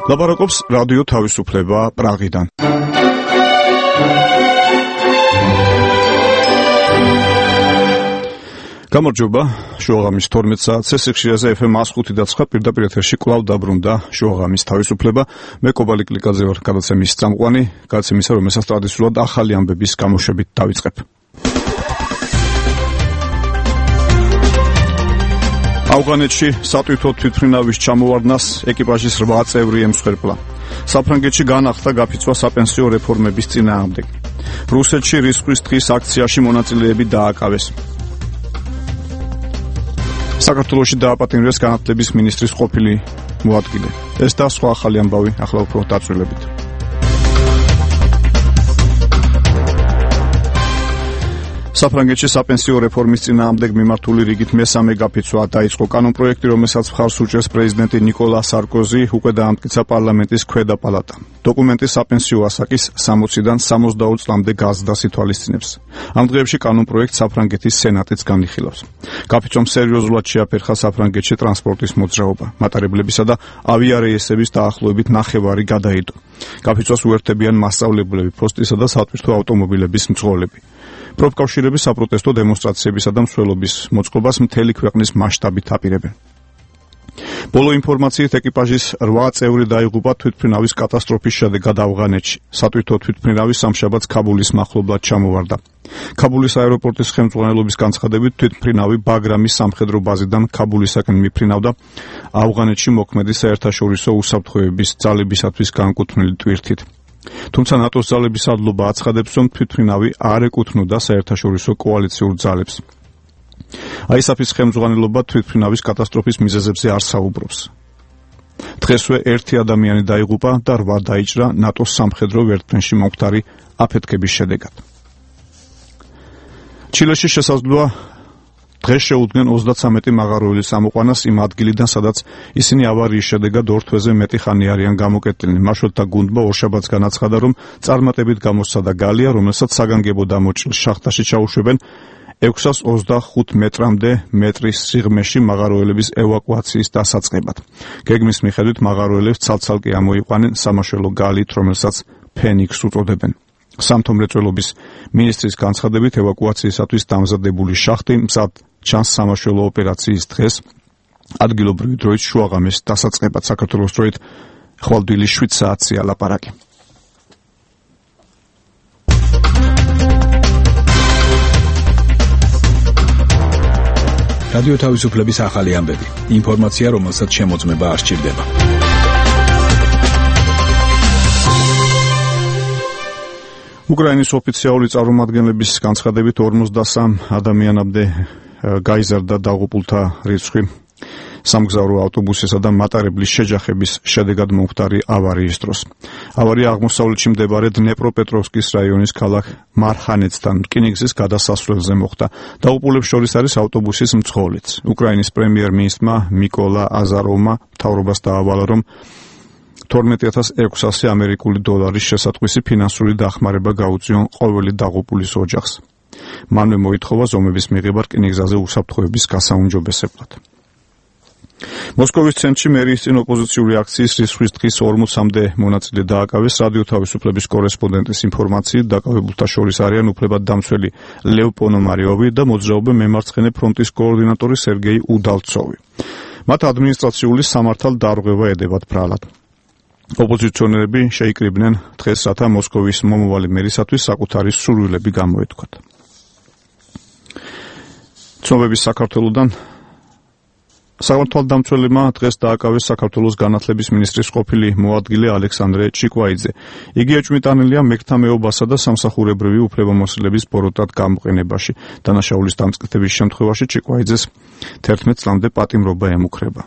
ლაპარაკობს რადიო თავისუფლება პრაღიდან. გამარჯობა, შუაღამის 12 საათზე სიხშირეზე FM 105.9 პირდაპირ ეთერში კვლავ დაბრუნდა შუაღამის თავისუფლება. მე კობალი კლიკაძე ვარ, გადაცემის წამყვანი, გადაცემისა, რომელსაც ტრადიციულად ახალი ამბების გამოშვებით დავიწყებ. ავღანეთში სატვირთო თვითმფრინავის ჩამოვარდნას ეკიპაჟის 8 წევრი ემსხვერპლა. საფრანგეთში განახლდა გაფიცვა საპენსიო რეფორმების წინააღმდეგ. რუსეთში რისხვის დღის აქციაში მონაწილეები დააკავეს. საქართველოში დააპატიმრეს განათლების მინისტრის ყოფილი მოადგილე. ეს და სხვა ახალი ამბავი ახლა უფრო დაწვრილებით. საფრანგეთში საპენსიო რეფორმის წინააღმდეგ მიმართული რიგით მესამე გაფიცვა დაიწყო. კანონპროექტი, რომელსაც მხარს უჭერს პრეზიდენტი ნიკოლა სარკოზი, უკვე დაამტკიცა პარლამენტის ქვედა პალატა. დოკუმენტი საპენსიო ასაკის 60-დან 62 წლამდე გაზრდას ითვალისწინებს. ამ დღეებში კანონპროექტს საფრანგეთის სენატიც განიხილავს. გაფიცვამ სერიოზულად შეაფერხა საფრანგეთში ტრანსპორტის მოძრაობა. მატარებლებისა და ავიარეისების დაახლოებით ნახევარი გადაიდო. გაფიცვას უერთდებიან მასწავლებლები, ფოსტისა და სატვირთო ავტომობილების მძღოლები. პროფკავშირები საპროტესტო დემონსტრაციებისა და მსვლელობის მოწყობას მთელი ქვეყნის მასშტაბით აპირებენ. ბოლო ინფორმაციით ეკიპაჟის 8 წევრი დაიღუპა თვითმფრინავის კატასტროფის შედეგად ავღანეთში. სატვირთო თვითმფრინავი სამშაბათს ქაბულის მახლობლად ჩამოვარდა. ქაბულის აეროპორტის ხელმძღვანელობის განცხადებით თვითმფრინავი ბაგრამის სამხედრო ბაზიდან ქაბულისაკენ მიფრინავდა ავღანეთში მოქმედი საერთაშორისო უსაფრთხოების ძალებისათვის განკუთვნილი ტვირთით. თუმცა ნატოს ძალების ადლობა აცხადებს, რომ თვითმფრინავი არ ეკუთვნოდა საერთაშორისო კოალიციურ ძალებს. ISAF-ის ხელმძღვანელობა თვითმფრინავის კატასტროფის მიზეზებზე არ საუბრობს. დღესვე 1 ადამიანი დაიღუპა და 8 დაიჭრა ნატოს სამხედრო ვერტმფრენში მომხდარი აფეთქების შედეგად. ჩილეში შესაძლოა დღეს შეუდგნენ 33 მაღაროელის ამოყვანას იმ ადგილიდან, სადაც ისინი ავარიის შედეგად 2 თვეზე მეტი ხანი არიან გამოკეტილნი. მაშველთა გუნდმა ორშაბათს განაცხადა, რომ წარმატებით გამოსცადა გალია, რომელსაც საგანგებო დამოჭრილ შახტაში ჩაუშვებენ 625 მეტრამდე მეტრის სიღრმეში მაღაროელების ევაკუაციის დასაწყებად. გეგმის მიხედვით მაღაროელებს ცალ-ცალკე ამოიყვანენ სამაშველო გალით, რომელსაც ფენიქსს უწოდებენ. სამთო მრეწველობის მინისტრის განცხადებით, ევაკუაციისათვის დამზადებული შახტი მზად ჩანს სამაშველო ოპერაციის დღეს, ადგილობრივი დროით შუაღამის დასაწყებად. საქართველოს დროით ხვალდვილი 7 საათზეა ლაპარაკი. რადიო თავისუფლების ახალი ამბები. ინფორმაცია, რომელსაც შემოწმება არ სჭირდება. უკრაინის ოფიციალური წარმომადგენლების განცხადებით 53 ადამიანამდე გაიზარდა დაღუპულთა რიცხვი სამგზავრო ავტობუსისა და მატარებლის შეჯახების შედეგად მომხდარი ავარიის დროს. ავარია აღმოსავლეთში მდებარე დნეპროპეტროვსკის რაიონის ქალაქ მარხანეცთან რკინიგზის გადასასვლელზე მოხდა. დაღუპულებს შორის არის ავტობუსის მძღოლიც. უკრაინის პრემიერ-მინისტრმა მიკოლა აზაროვმა მთავრობას დაავალა, რომ 12,600 ამერიკული დოლარის შესატყვისი ფინანსური დახმარება გაუწიონ ყოველი დაღუპულის ოჯახს. მანვე მოითხოვა ზომების მიღება რკინიგზაზე უსაფრთხოების გასაუმჯობესებლად. მოსკოვის ცენტრში მერიის წინ ოპოზიციური აქციის რისხვის დღის 40-მდე მონაწილე დააკავეს. რადიო თავისუფლების კორესპონდენტის ინფორმაციით, დაკავებულთა შორის არიან უფლებადდამცველი ლევ პონომარიოვი და მოძრაობე მემარცხენე ფრონტის კოორდინატორი სერგეი უდალცოვი. მათ ადმინისტრაციული სამართალდარღვევა ედებათ ბრალად. ოპოზიციონერები შეიკრიბნენ დღეს, რათა მოსკოვის მომავალი მერისათვის საკუთარი სურვილები გამოეთქვათ. ცნობების საქართველოდან სამართალდამცველებმა დღეს დააკავეს საქართველოს განათლების მინისტრის ყოფილი მოადგილე ალექსანდრე ჩიკვაიძე. იგი ეჭვმიტანილია მეგთა მეობასა და სამსახურებრივი უფლებამოსილების ბოროტად გამოყენებაში. დანაშაულის დამწყითების შემთხვევაში ჩიკვაიძეს 11 წლამდე პატიმრობა ემუქრება.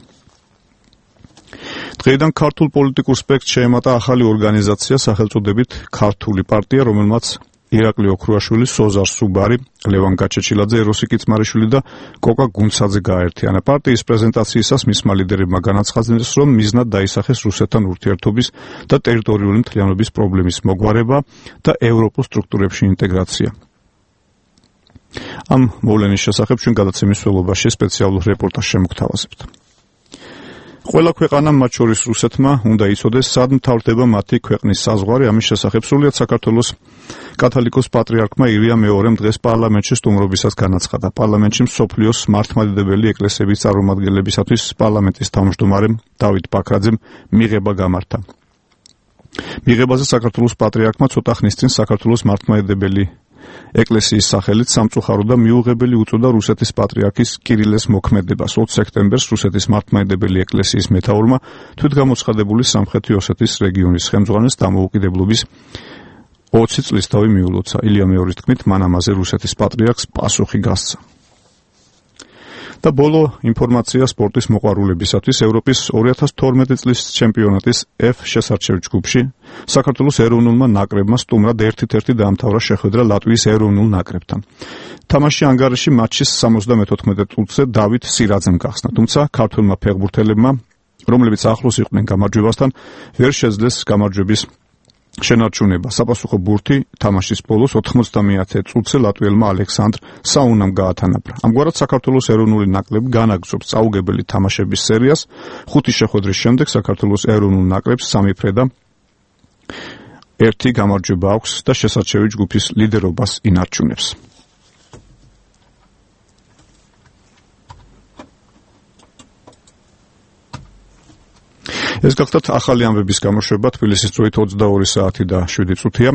დღეიდან ქართულ პოლიტიკურ სპექტრს შეემატა ახალი ორგანიზაცია სახელწოდებით ქართული პარტია, რომელმაც ირაკლი ოქრუაშვილი, სოზარ სუბარი, ლევან გაჩეჩილაძე, ეროსი კიცმარიშვილი და კოკა გუნცაძე გააერთიანა. პარტიის პრეზენტაციისას მისმა ლიდერებმა განაცხადეს, რომ მიზნად დაისახეს რუსეთთან ურთიერთობის და ტერიტორიული მთლიანობის პრობლემის მოგვარება და ევროპულ სტრუქტურებში ინტეგრაცია. ამ მოვლენის შესახებ ჩვენ გადაცემის ველობაში სპეციალურ რეპორტაჟს შემოგთავაზებთ. ყველა ქვეყანამ, მათ შორის რუსეთმა, უნდა იცოდეს, სად მთავრდება მათი ქვეყნის საზღვარი. ამის შესახებ სრულიად საქართველოს კათოლიკოს პატრიარქმა ილია მეორემ დღეს პარლამენტში სტუმრობისას განაცხადა. პარლამენტში მსოფლიოს მართლმადიდებელი ეკლესიების წარმომადგენლებისათვის პარლამენტის თავმჯდომარემ დავით ბაქრაძემ მიღება გამართა. მიღებაზე საქართველოს პატრიარქმა ცოტა ხნის წინ საქართველოს მართლმადიდებელი ეკლესიის სახელით სამწუხარო და მიუღებელი უწოდა რუსეთის პატრიარქის კირილეს მოქმედებას. 20 სექტემბერს რუსეთის მართლმადიდებელი ეკლესიის მეთაურმა თვითგამოცხადებული სამხრეთი ოსეთის რეგიონის ხელმძღვანელს დამოუკიდებლობის 20 წლისთავი მიულოცა. ილია მეორის თქმით, მან ამაზე რუსეთის პატრიარქს პასუხი გასცა. და ბოლო ინფორმაცია სპორტის მოყვარულებისათვის. ევროპის 2012 წლის ჩემპიონატის F შესარჩევ ჯგუფში საქართველოს ეროვნულმა ნაკრებმა სტუმრად 1-1 დაამთავრა შეხვედრა ლატვიის ეროვნულ ნაკრებთან. თამაში ანგარიში მატჩის 74 წუთზე დავით სირაძემ გახსნა, თუმცა ქართველმა ფეხბურთელებმა, რომლებიც ახლოს იყვნენ გამარჯვებასთან, ვერ შეძლეს გამარჯვების შენარჩუნება. საპასუხო ბურთი თამაშის ბოლოს 90 წუთზე ლატვიელმა ალექსანდრ საუნამ გაათანაბრა. ამგვარად საქართველოს ეროვნული ნაკრები განაგრძობს წაუგებელი თამაშების სერიას. 5 შეხვედრის შემდეგ საქართველოს ეროვნულ ნაკრებს 3 ფრე და 1 გამარჯვება აქვს და შესარჩევი ჯგუფის ლიდერობას ინარჩუნებს. ეს გახლავთ ახალი ამბების გამოშვება. თბილისის დროით 22 საათი და 7 წუთია.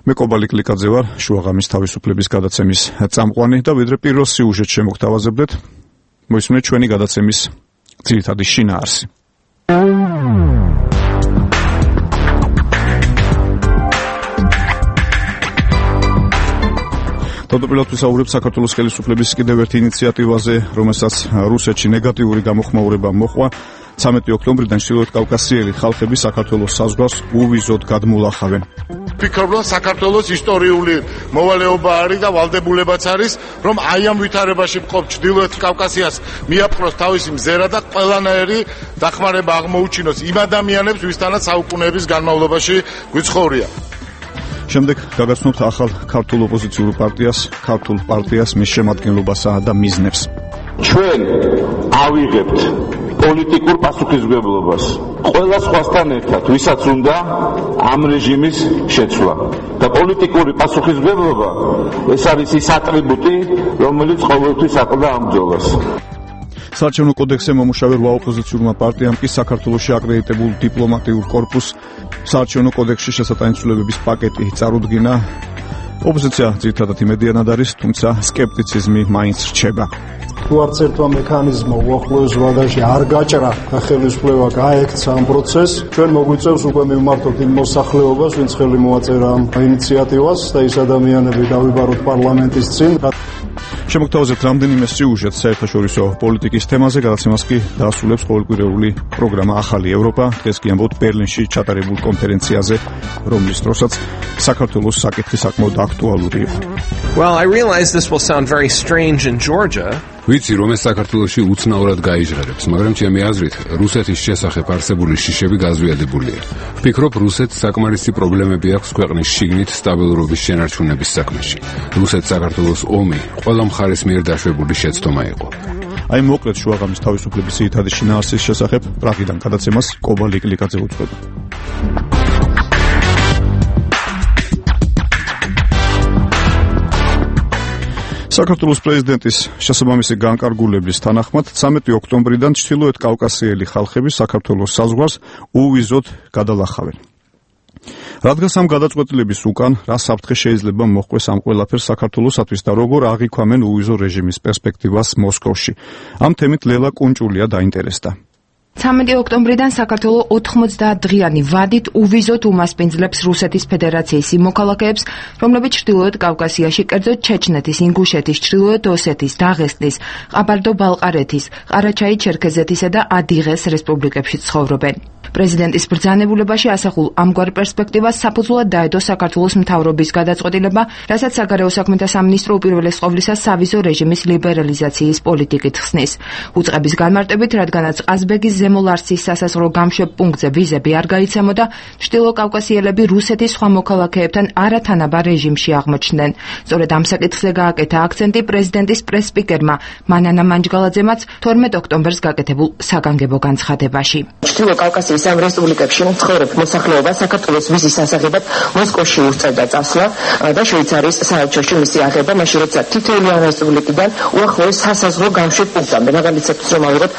მე კობალი კლიკაძე ვარ, შუაღამის თავისუფლების გადაცემის წამყვანი და ვიდრე პირველ სიუჟეტს შემოგთავაზებდეთ, მოისმინეთ ჩვენი გადაცემის ძირითადი შინაარსი. თავდაპირველად ვისაუბრებ საქართველოს ხელისუფლების კიდევ ერთ ინიციატივაზე, რომელსაც რუსეთში ნეგატიური გამოხმაურება მოჰყვა. 13 ოქტომბრიდან ჩრდილოეთ კავკასიელი ხალხები საქართველოს საზღვარს უვიზოდ გადმულახავენ. ვფიქრობ, რომ საქართველოს ისტორიული მოვალეობა არის და ვალდებულებაც არის, რომ აი ამ ვითარებაში მყოფ ჩრდილოეთ კავკასიას მიაპყროს თავისი მზერა და ყველანაირი დახმარება აღმოუჩინოს იმ ადამიანებს, ვისთანაც საუკუნეების განმავლობაში გვიცხოვრია. შემდეგ გაგაცნობთ ახალ ქართულ ოპოზიციურ პარტიას, მის შემადგენლობასა და მიზნებს. ჩვენ ავიღებთ პოლიტიკურ პასუხისმგებლობას ყველა სხვასთან ერთად, ვისაც უნდა ამ რეჟიმის შეცვლა. და პოლიტიკური პასუხისმგებლობა ეს არის ის ატრიბუტი, რომელიც ყოველთვის აკლდა ამ ბრძოლას. საარჩევნო კოდექსზე მომუშავე 8 ოპოზიციურმა პარტიამ კი საქართველოში აკრედიტებულ დიპლომატიურ კორპუსს საარჩევნო კოდექსში შესატანცვლებების პაკეტი წარუდგინა. ოპოზიცია ძირითადად იმედიანად არის, თუმცა სკეპტიციზმი მაინც რჩება. თუ არც ერთმა მექანიზმმა უახლოეს ვადაში არ გაჭრა და ხელისუფლება გაექცა ამ პროცესს, ჩვენ მოგვიწევს უკვე მივმართოთ იმ მოსახლეობას, ვინც ხელი მოაწერა ამ ინიციატივას და ის ადამიანები დავიბაროთ პარლამენტის წინ. შემოგთავაზებთ რამდენიმე სიუჟეტს საერთაშორისო პოლიტიკის თემაზე, გადაცემას კი დაასრულებს ყოველკვირეული პროგრამა ახალი ევროპა. დღეს კი ამბობთ ბერლინში ჩატარებულ კონფერენციაზე, რომლის დროსაც საქართველოს საკითხი საკმაოდ აქტუალური იყო. Well, I realize this will sound very strange in Georgia. ვიცი, რომ ეს საქართველოში უცნაურად გაიჟღერებს, მაგრამ ჩემი აზრით, რუსეთის შესახებ არსებული შიშები გაზვიადებულია. ვფიქრობ, რუსეთს საკმარისი პრობლემები აქვს ქვეყნის შიგნით სტაბილურობის შენარჩუნების საქმეში. რუსეთს საქართველოს ომი ყველა მხარის მიერ დაშვებული შეცდომა იყო. აი მოკლედ შუაღამის თავისუფლების ძირითადი შინაარსის შესახებ პრაღიდან გადაცემას კობალი კლიკაძე უძღვება. საქართველოს პრეზიდენტის შესაბამისი განკარგულების თანახმად 13 ოქტომბრიდან ჩრდილოეთ კავკასიელი ხალხები საქართველოს საზღვარს უვიზოდ გადალახავენ. რადგან ამ გადაწყვეტილების უკან რა საფრთხე შეიძლება მოჰყვეს ამ ყველაფერს საქართველოსათვის და როგორ აღიქვამენ უვიზო რეჟიმის პერსპექტივას მოსკოვში. ამ თემით ლელა კუნჭულია დაინტერესდა. 13 ოქტომბრიდან საქართველოს 90 დღიანი ვადით უვიზოდ უმასპინძლებს რუსეთის ფედერაციის იმ მოქალაქეებს, რომლებიც ჩრდილოეთ კავკასიაში, კერძოდ ჩეჩნეთის, ინგუშეთის, ჩრდილოეთ ოსეთის, დაღესტნის, ყაბარდო-ბალყარეთის, ყარაჩაი-ჩერქეზეთისა და ადიღეს რესპუბლიკებში ცხოვრობენ. პრეზიდენტის ბრძანებულებაში ასახულ ამგვარ პერსპექტივას საფუძვლად დაედო საქართველოს მთავრობის გადაწყვეტილება, რასაც საგარეო საქმეთა სამინისტრო უპირველეს ყოვლისა სავიზო რეჟიმის ლიბერალიზაციის პოლიტიკით ხსნის. უწყების განმარტებით, რადგანაც ყაზბეგის ზემო ლარსის სასაზღვრო გამშვებ პუნქტზე ვიზები არ გაიცემოდა, ჩრდილოკავკასიელები რუსეთის სხვა მოქალაქეებთან არათანაბარ რეჟიმში აღმოჩნდნენ. სწორედ ამ საკითხზე გააკეთა აქცენტი პრეზიდენტის პრეს-სპიკერმა მანანა მანჯგალაძემაც 12 ოქტომბერს გაკეთებულ საგანგებო განცხადებაში. ჩრდილოკავკასიის ამ რესპუბლიკებში მცხოვრებ მოსახლეობა საქართველოს ვიზის სასაღებად მოსკოვში უსწრებდა წასვლა და შვეიცარიის საელჩოში მისი აღება, მაშინ როცა თითოეული ამ რესპუბლიკიდან უახლოეს სასაზღვრო გამშვებ პუნქტამდე, მაგალითად რომ ავიღოთ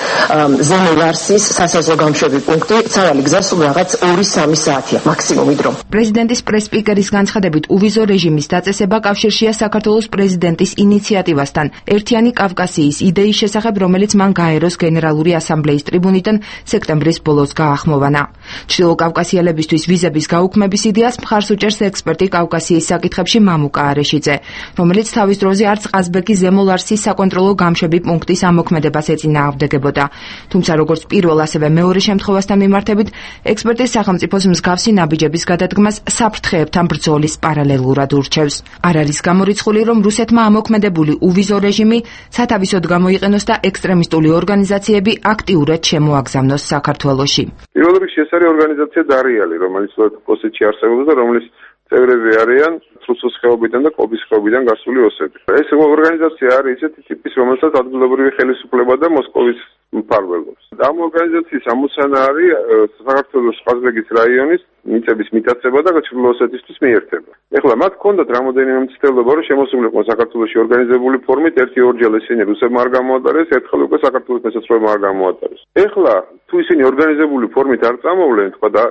ზემო ლარსის სასაზღვრო გამშვები პუნქტი, ცავალი გზა სულ რაღაც 2-3 საათია მაქსიმუმი დრო. პრეზიდენტის პრეს-სპიკერის განცხადებით უვიზო რეჟიმის დაწესება კავშირშია საქართველოს პრეზიდენტის ინიციატივასთან ერთიანი კავკასიის იდეის შესახებ, რომელიც მან გაეროს გენერალური ასამბლეის ტრიბუნიდან სექტემბრის ბოლოს გაახმოვანა. ჩრდილოკავკასიელებისთვის ვიზების გაუქმების იდეას მხარს უჭერს ექსპერტი კავკასიის საკითხებში მამუკა არეშიძე, რომელიც თავის დროზე არც ყაზბეგის ზემო ლარსის საკონტროლო გამშვები პუნქტის ამოქმედებას ეწინააღმდეგებოდა. თუმცა როგორც პირველ, ასევე მეორე შემთხვევასთან მიმართებით, ექსპერტი სახელმწიფოს მსგავსი ნაბიჯების გადადგმას საფრთხეებთან ბრძოლის პარალელურად ურჩევს. არ არის გამორიცხული, რომ რუსეთმა ამოქმედებული უვიზო რეჟიმი სათავისოდ გამოიყენოს და ექსტრემისტული ორგანიზაციები აქტიურად შემოაგზავნოს საქართველოში. პირველ რიგში ეს არის ორგანიზაცია დარიალი, რომელიც ოსეთში არსებობს და რომლის წევრები არიან რუსოს ხეობიდან და კობის ხეობიდან გასული ოსები. ეს ორგანიზაცია არის ისეთი ტიპის, რომელსაც ადგილობრივი ხელისუფლება და მოსკოვის მფარველობს. ამ ორგანიზაციის ამოცანა არის საქართველოს ყაზბეგის რაიონის მიწების მიტაცება და ჩრდილო-ოსეთისთვის მიერთება. ეხლა მათ ჰქონდათ რამოდენიმე მცდელობა, რომ შემოსულიყვნენ საქართველოში ორგანიზებული ფორმით, ერთი-ორჯერ ისინი რუსებმა არ გამოატარეს, ერთხელ უკვე საქართველოს მესაცროებმა არ გამოატარეს. ეხლა თუ ისინი ორგანიზებული ფორმით არ წამოვლენ, თქვა და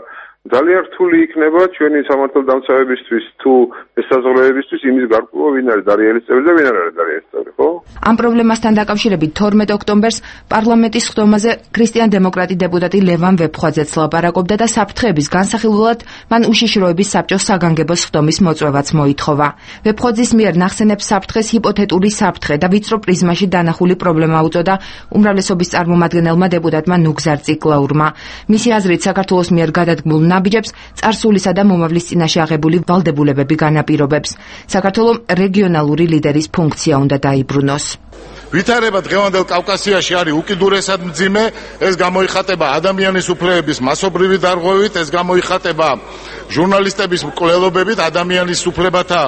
ძალიან რთული იქნება ჩვენი სამართალდამცავებისთვის თუ ესაზღვროებისთვის იმის გარკვევა, ვინ არის დარიელის წევრი და ვინ არ არის დარიელის წევრი, ხო? ამ პრობლემასთან დაკავშირებით 12 ოქტომბერს პარლამენტის ხდომაზე ქრისტიან-დემოკრატი დეპუტატი ლევან ვეფხვაძეც ლაპარაკობდა და საფრთხეების განსახილველად მან უშიშროების საბჭოს საგანგებო ხდომის მოწვევაც მოითხოვა. ვეფხვაძის მიერ ნახსენებს საფრთხეს ჰიპოთეტური საფრთხე და ვიწრო პრიზმაში დანახული პრობლემა უწოდა უმრავლესობის წარმომადგენელმა დეპუტატმა ნუგზარ ციკლაურმა. მისი აზრით, საქართველოს მიერ გადადგმულ ნაბიჯებს წარსულისა და მომავლის წინაშე აღებული ვალდებულებები განაპირობებს. საქართველოს რეგიონალური ლიდერის ფუნქცია უნდა დაიბრუნოს. ვითარება დღევანდელ კავკასიაში არის უკიდურესად მძიმე, ეს გამოიხატება ადამიანის უფლებების მასობრივი დარღვევით, ეს გამოიხატება ჟურნალისტების მკვლელობებით, ადამიანის უფლებათა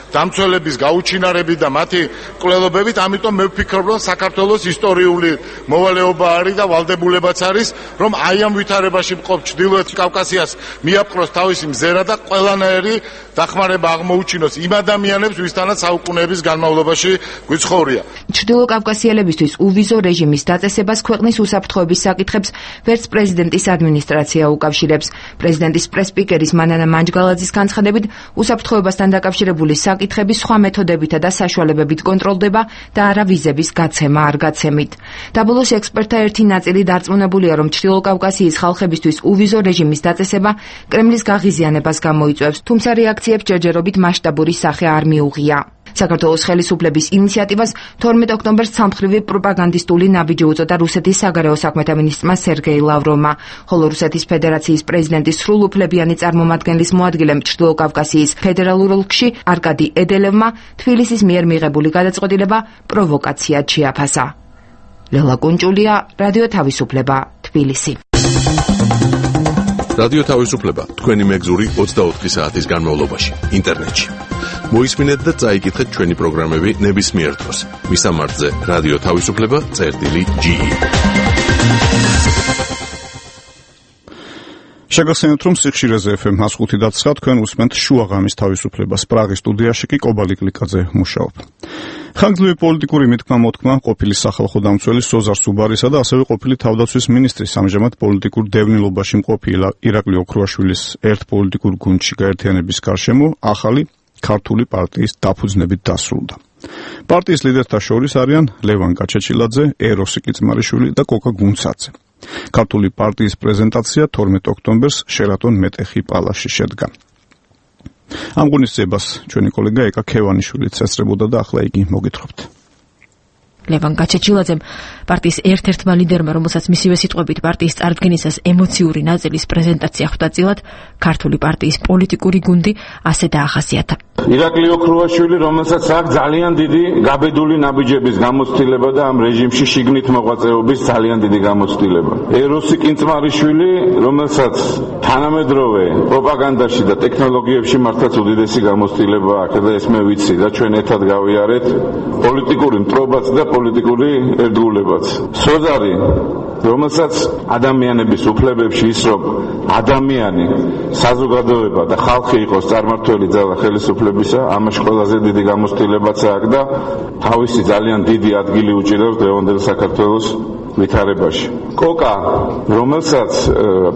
დამცველების გაუჩინარებით და მათი მკვლელობებით, ამიტომ მე ვფიქრობ, რომ საქართველოს ისტორიული მოვალეობა არის და ვალდებულებაც არის, რომ აი ამ ვითარებაში მყოფ ჩრდილოეთ კავკასიას მიაპყროს თავისი მზერა და ყველანაირი დახმარება აღმოუჩინოს იმ ადამიანებს, ვისთანაც საუკუნეების განმავლობაში გვიცხოვრია. ჩრდილოკავკასიელებისთვის უვიზო რეჟიმის დაწესებას ქვეყნის უსაფრთხოების საკითხებს ვერც პრეზიდენტის ადმინისტრაცია უკავშირებს. პრეზიდენტის პრეს-სპიკერის მანანა მანჯგალაძის განცხადებით, უსაფრთხოებასთან დაკავშირებული საკითხები სხვა მეთოდებითა და საშუალებებით კონტროლდება და არა ვიზების გაცემა არ გაცემით. დაბოლოს ექსპერტთა ერთი ნაწილი დარწმუნებულია, რომ ჩრდილოკავკასიის ხალხებისთვის უვიზო რეჟიმის დაწესება კრემლის გაღიზიანებას გამოიწვევს, თუმცა რეაქციებს ჯერჯერობით მასშტაბური სახე არ მიუღია. საქართველოს ხელისუფლების ინიციატივას 12 ოქტომბერს სამხრივი პროპაგანდისტული ნაბიჯი უწოდა რუსეთის საგარეო საქმეთა მინისტრმა სერგეი ლავროვმა, ხოლო რუსეთის ფედერაციის პრეზიდენტის სრულუფლებიანი წარმომადგენლის მოადგილემ ჩრდილოკავკასიის ფედერალურ ოლქში არკადი ედელევმა თბილისის მიერ მიღებული გადაწყვეტილება პროვოკაციად შეაფასა. ლელა კუნჭულია, რადიო თავისუფლება, თბილისი. რადიო თავისუფლება, თქვენი მეგზური 24 საათის განმავლობაში, ინტერნეტში. მოისმინეთ და წაიკითხეთ ჩვენი პროგრამები ნებისმიერ დროს. მისამართზე რადიო თავისუფლება.ge. შეგახსენებთ, რომ სიხშირეზე FM 105.9 თქვენ უსმენთ შუაღამის თავისუფლებას. პრაღის სტუდიაში კი კობალი კლიკაძე მუშაობ. ხანგრძლივი პოლიტიკური მითქმა-მოთქმა ყოფილი სახალხო დამცველი სოზარ სუბარისა და ასევე ყოფილი თავდაცვის მინისტრის ამჟამად პოლიტიკურ დევნილობაში მყოფი ირაკლი ოქრუაშვილის ერთ პოლიტიკურ გუნდში გაერთიანების გარშემო ახალი ქართული პარტიის დაფუძნებით დასრულდა. პარტიის ლიდერთა შორის არიან ლევან გაჩეჩილაძე, ეროსი კიწმარიშვილი და კოკა გუნცაძე. ქართული პარტიის პრეზენტაცია 12 ოქტომბერს შერატონ მეტეხი პალასში შედგა. ამ ღონისძიებას ჩვენი კოლეგა ეკა ქევანიშვილიც ესწრებოდა და ახლა იგი მოგითხრობთ. ლევან გაჩეჩილაძემ, პარტიის ერთ-ერთმა ლიდერმა, რომელსაც მისივე სიტყვებით პარტიის წარდგენისას ემოციური ნაწილის პრეზენტაცია ხვდა წილად, ქართული პარტიის პოლიტიკური გუნდი ასე დაახასიათა. ირაკლი ოქრუაშვილი, რომელსაც აქვს ძალიან დიდი გაბედული ნაბიჯების გამოცდილება და ამ რეჟიმში შიგნით მოღვაწეობის ძალიან დიდი გამოცდილება. ეროსი კინწმარიშვილი, რომელსაც თანამედროვე პროპაგანდაში და ტექნოლოგიებში მართლაც უდიდესი გამოცდილება აქვს და ეს მე ვიცი და ჩვენ ერთად გავიარეთ პოლიტიკური მტრობაც და პოლიტიკური ერთგულებაც. სოზარი, რომელსაც ადამიანების უფლებებში ის რომ ადამიანი, საზოგადოება და ხალხი იყოს წარმართველი ძალა ხელისუფლებისა, ამაში ყველაზე დიდი გამოცდილებაც აქვს და თავისი ძალიან დიდი ადგილი უჭირავს დღევანდელ საქართველოს ვითარებაში. კოკა, რომელსაც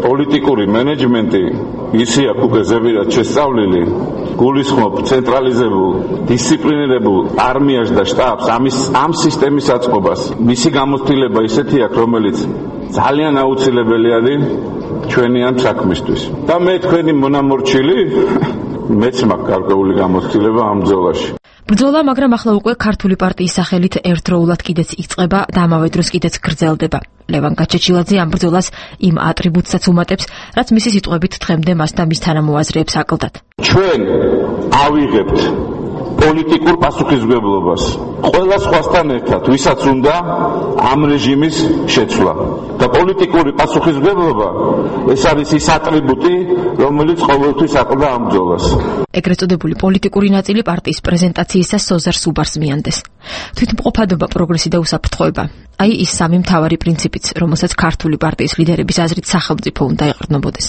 პოლიტიკური მენეჯმენტი ისი აქვს უკვე ზებირად შესწავლილი, გულისხმობ ცენტრალიზებულ, დისციპლინირებულ არმიას და შტაბს, ამ სისტემის აწყობას. მისი გამოცდილება ისეთი აქვს, რომელიც ძალიან აუცილებელი არის ჩვენი ამ საქმისთვის. და მე თქვენი მონამორჩილი, მეც მაქვს გარკვეული გამოცდილება ამ ბრძოლაში. ბრძოლა, მაგრამ ახლა უკვე ქართული პარტიის სახელით ერთდროულად კიდეც იწყება და ამავე დროს კიდეც გრძელდება. ლევან გაჩეჩილაძე ამ ბრძოლას იმ ატრიბუტსაც უმატებს, რაც მისი სიტყვებით დღემდე მას და მის თანამოაზრეებს აკლდათ. ჩვენ ავიღებთ პოლიტიკურ პასუხისმგებლობას ყველა სხვასთან ერთად, ვისაც უნდა ამ რეჟიმის შეცვლა. და პოლიტიკური პასუხისმგებლობა ეს არის ის ატრიბუტი, რომელიც ყოველთვის აკლდა ამ ბრძოლას. ეგრეთ წოდებული პოლიტიკური ნაწილი პარტიის პრეზენტაციისას სოზარ სუბარს მიანდეს. თვითმყოფადობა, პროგრესი და უსაფრთხოება. აი ის სამი მთავარი პრინციპიც, რომელსაც ქართული პარტიის ლიდერების აზრით სახელმწიფო უნდა ეყრდნობოდეს.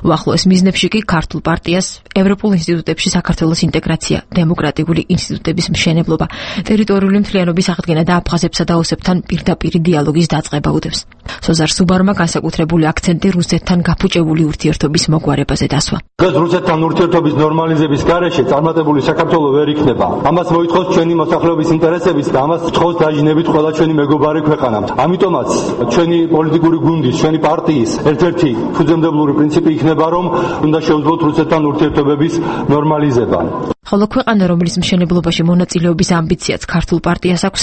უახლოეს მიზნებში კი ქართულ პარტიას ევროპულ ინსტიტუტებში საქართველოს ინტეგრაცია, დემოკრატიული ინსტიტუტების მშენებლობა, ტერიტორიული მთლიანობის აღდგენა და აფხაზებსა და ოსებთან პირდაპირ დიალოგის დაწყება უდევს. სოზარ სუბარმა განსაკუთრებული აქცენტი რუსეთთან გაფუჭებული ურთიერთობის მოგვარებაზე დასვა. რუსეთთან ურთიერთობის ნორმალიზების გარეშე წარმატებული საქართველო ვერ იქნება. ამას მოითხოვს ჩვენი მოსახლეობის ინტერესების და ამას თხოვს დაჟინებით ყველა ჩვენი მეგობარი ქვეყანამ. ამიტომაც ჩვენი პოლიტიკური გუნდის, ჩვენი პარტიის ერთ-ერთი ფუძემდებლური პრინციპი იქნება, რომ უნდა შევძლოთ რუსეთთან ურთიერთობების ნორმალიზება. ხოლო ქვეყანა, რომლის მშენებლობაში მონაწილეობის ამბიციაც ქართულ პარტიას აქვს,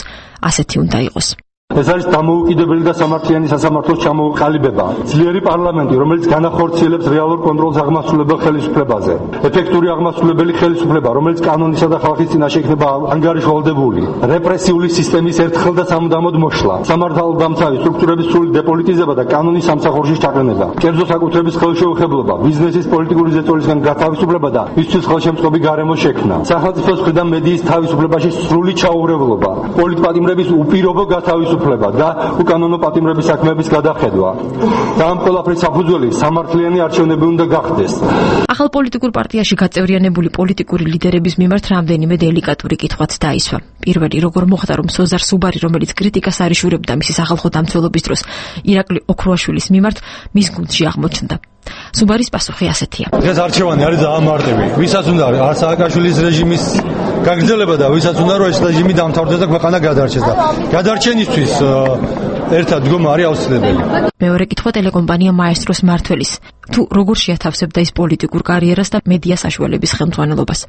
ასეთი უნდა იყოს. ეს არის დამოუკიდებელი და სამართლიანი სასამართლოს ჩამოყალიბება. ძლიერი პარლამენტი, რომელიც განახორციელებს რეალურ კონტროლს აღმასრულებელ ხელისუფლებაზე. ეფექტური აღმასრულებელი ხელისუფლება, რომელიც კანონისა და ხალხის წინაშე იქნება ანგარიშვალდებული. რეპრესიული სისტემის ერთხელ და სამუდამოდ მოშლა. სამართალდამცავი სტრუქტურების სრული დეპოლიტიზება და კანონის სამსახურში ჩაყენება. კერძო საკუთრების ხელშეუხებლობა, ბიზნესის პოლიტიკური ზეწოლისგან გათავისუფლება და მისთვის ხელშემწყობი გარემო შექმნა. სახელმწიფოს მხრიდან მედიის თავისუფლებაში სრული ჩაურევლობა. პოლიტპატიმრების უპირობო გათავისუფლება და უკანონო პატიმრების საქმეების გადახედვა. და ამ ყველაფრის საფუძველი სამართლიანი არჩევნები უნდა გახდეს. ახალ პოლიტიკურ პარტიაში გაწევრიანებული პოლიტიკური ლიდერების მიმართ რამდენიმე დელიკატური კითხვაც დაისვა. პირველი, როგორ მოხდა, რომ სოზარ სუბარი, რომელიც კრიტიკას არ იშურებდა მისი სახალხო დამცველობის დროს, ირაკლი ოქრუაშვილის მიმართ მის გუნდში აღმოჩნდა. სუბარის პასუხი ასეთია. ეს არჩევანი არის დაამარტები. ვისაც უნდა არ სააკაშვილის რეჟიმის გაგრძელება და ვისაც უნდა რომ ეს რეჟიმი დამთავრდეს და ქვეყანა გადარჩეს და გადარჩენისთვის ერთად დგომა არის აუცილებელი. მეორე კითხვა ტელეკომპანია მაესტროს მმართველის. თუ როგორ შეათავსებდა ის პოლიტიკურ კარიერას და მედია საშუალების ხელმძღვანელობას.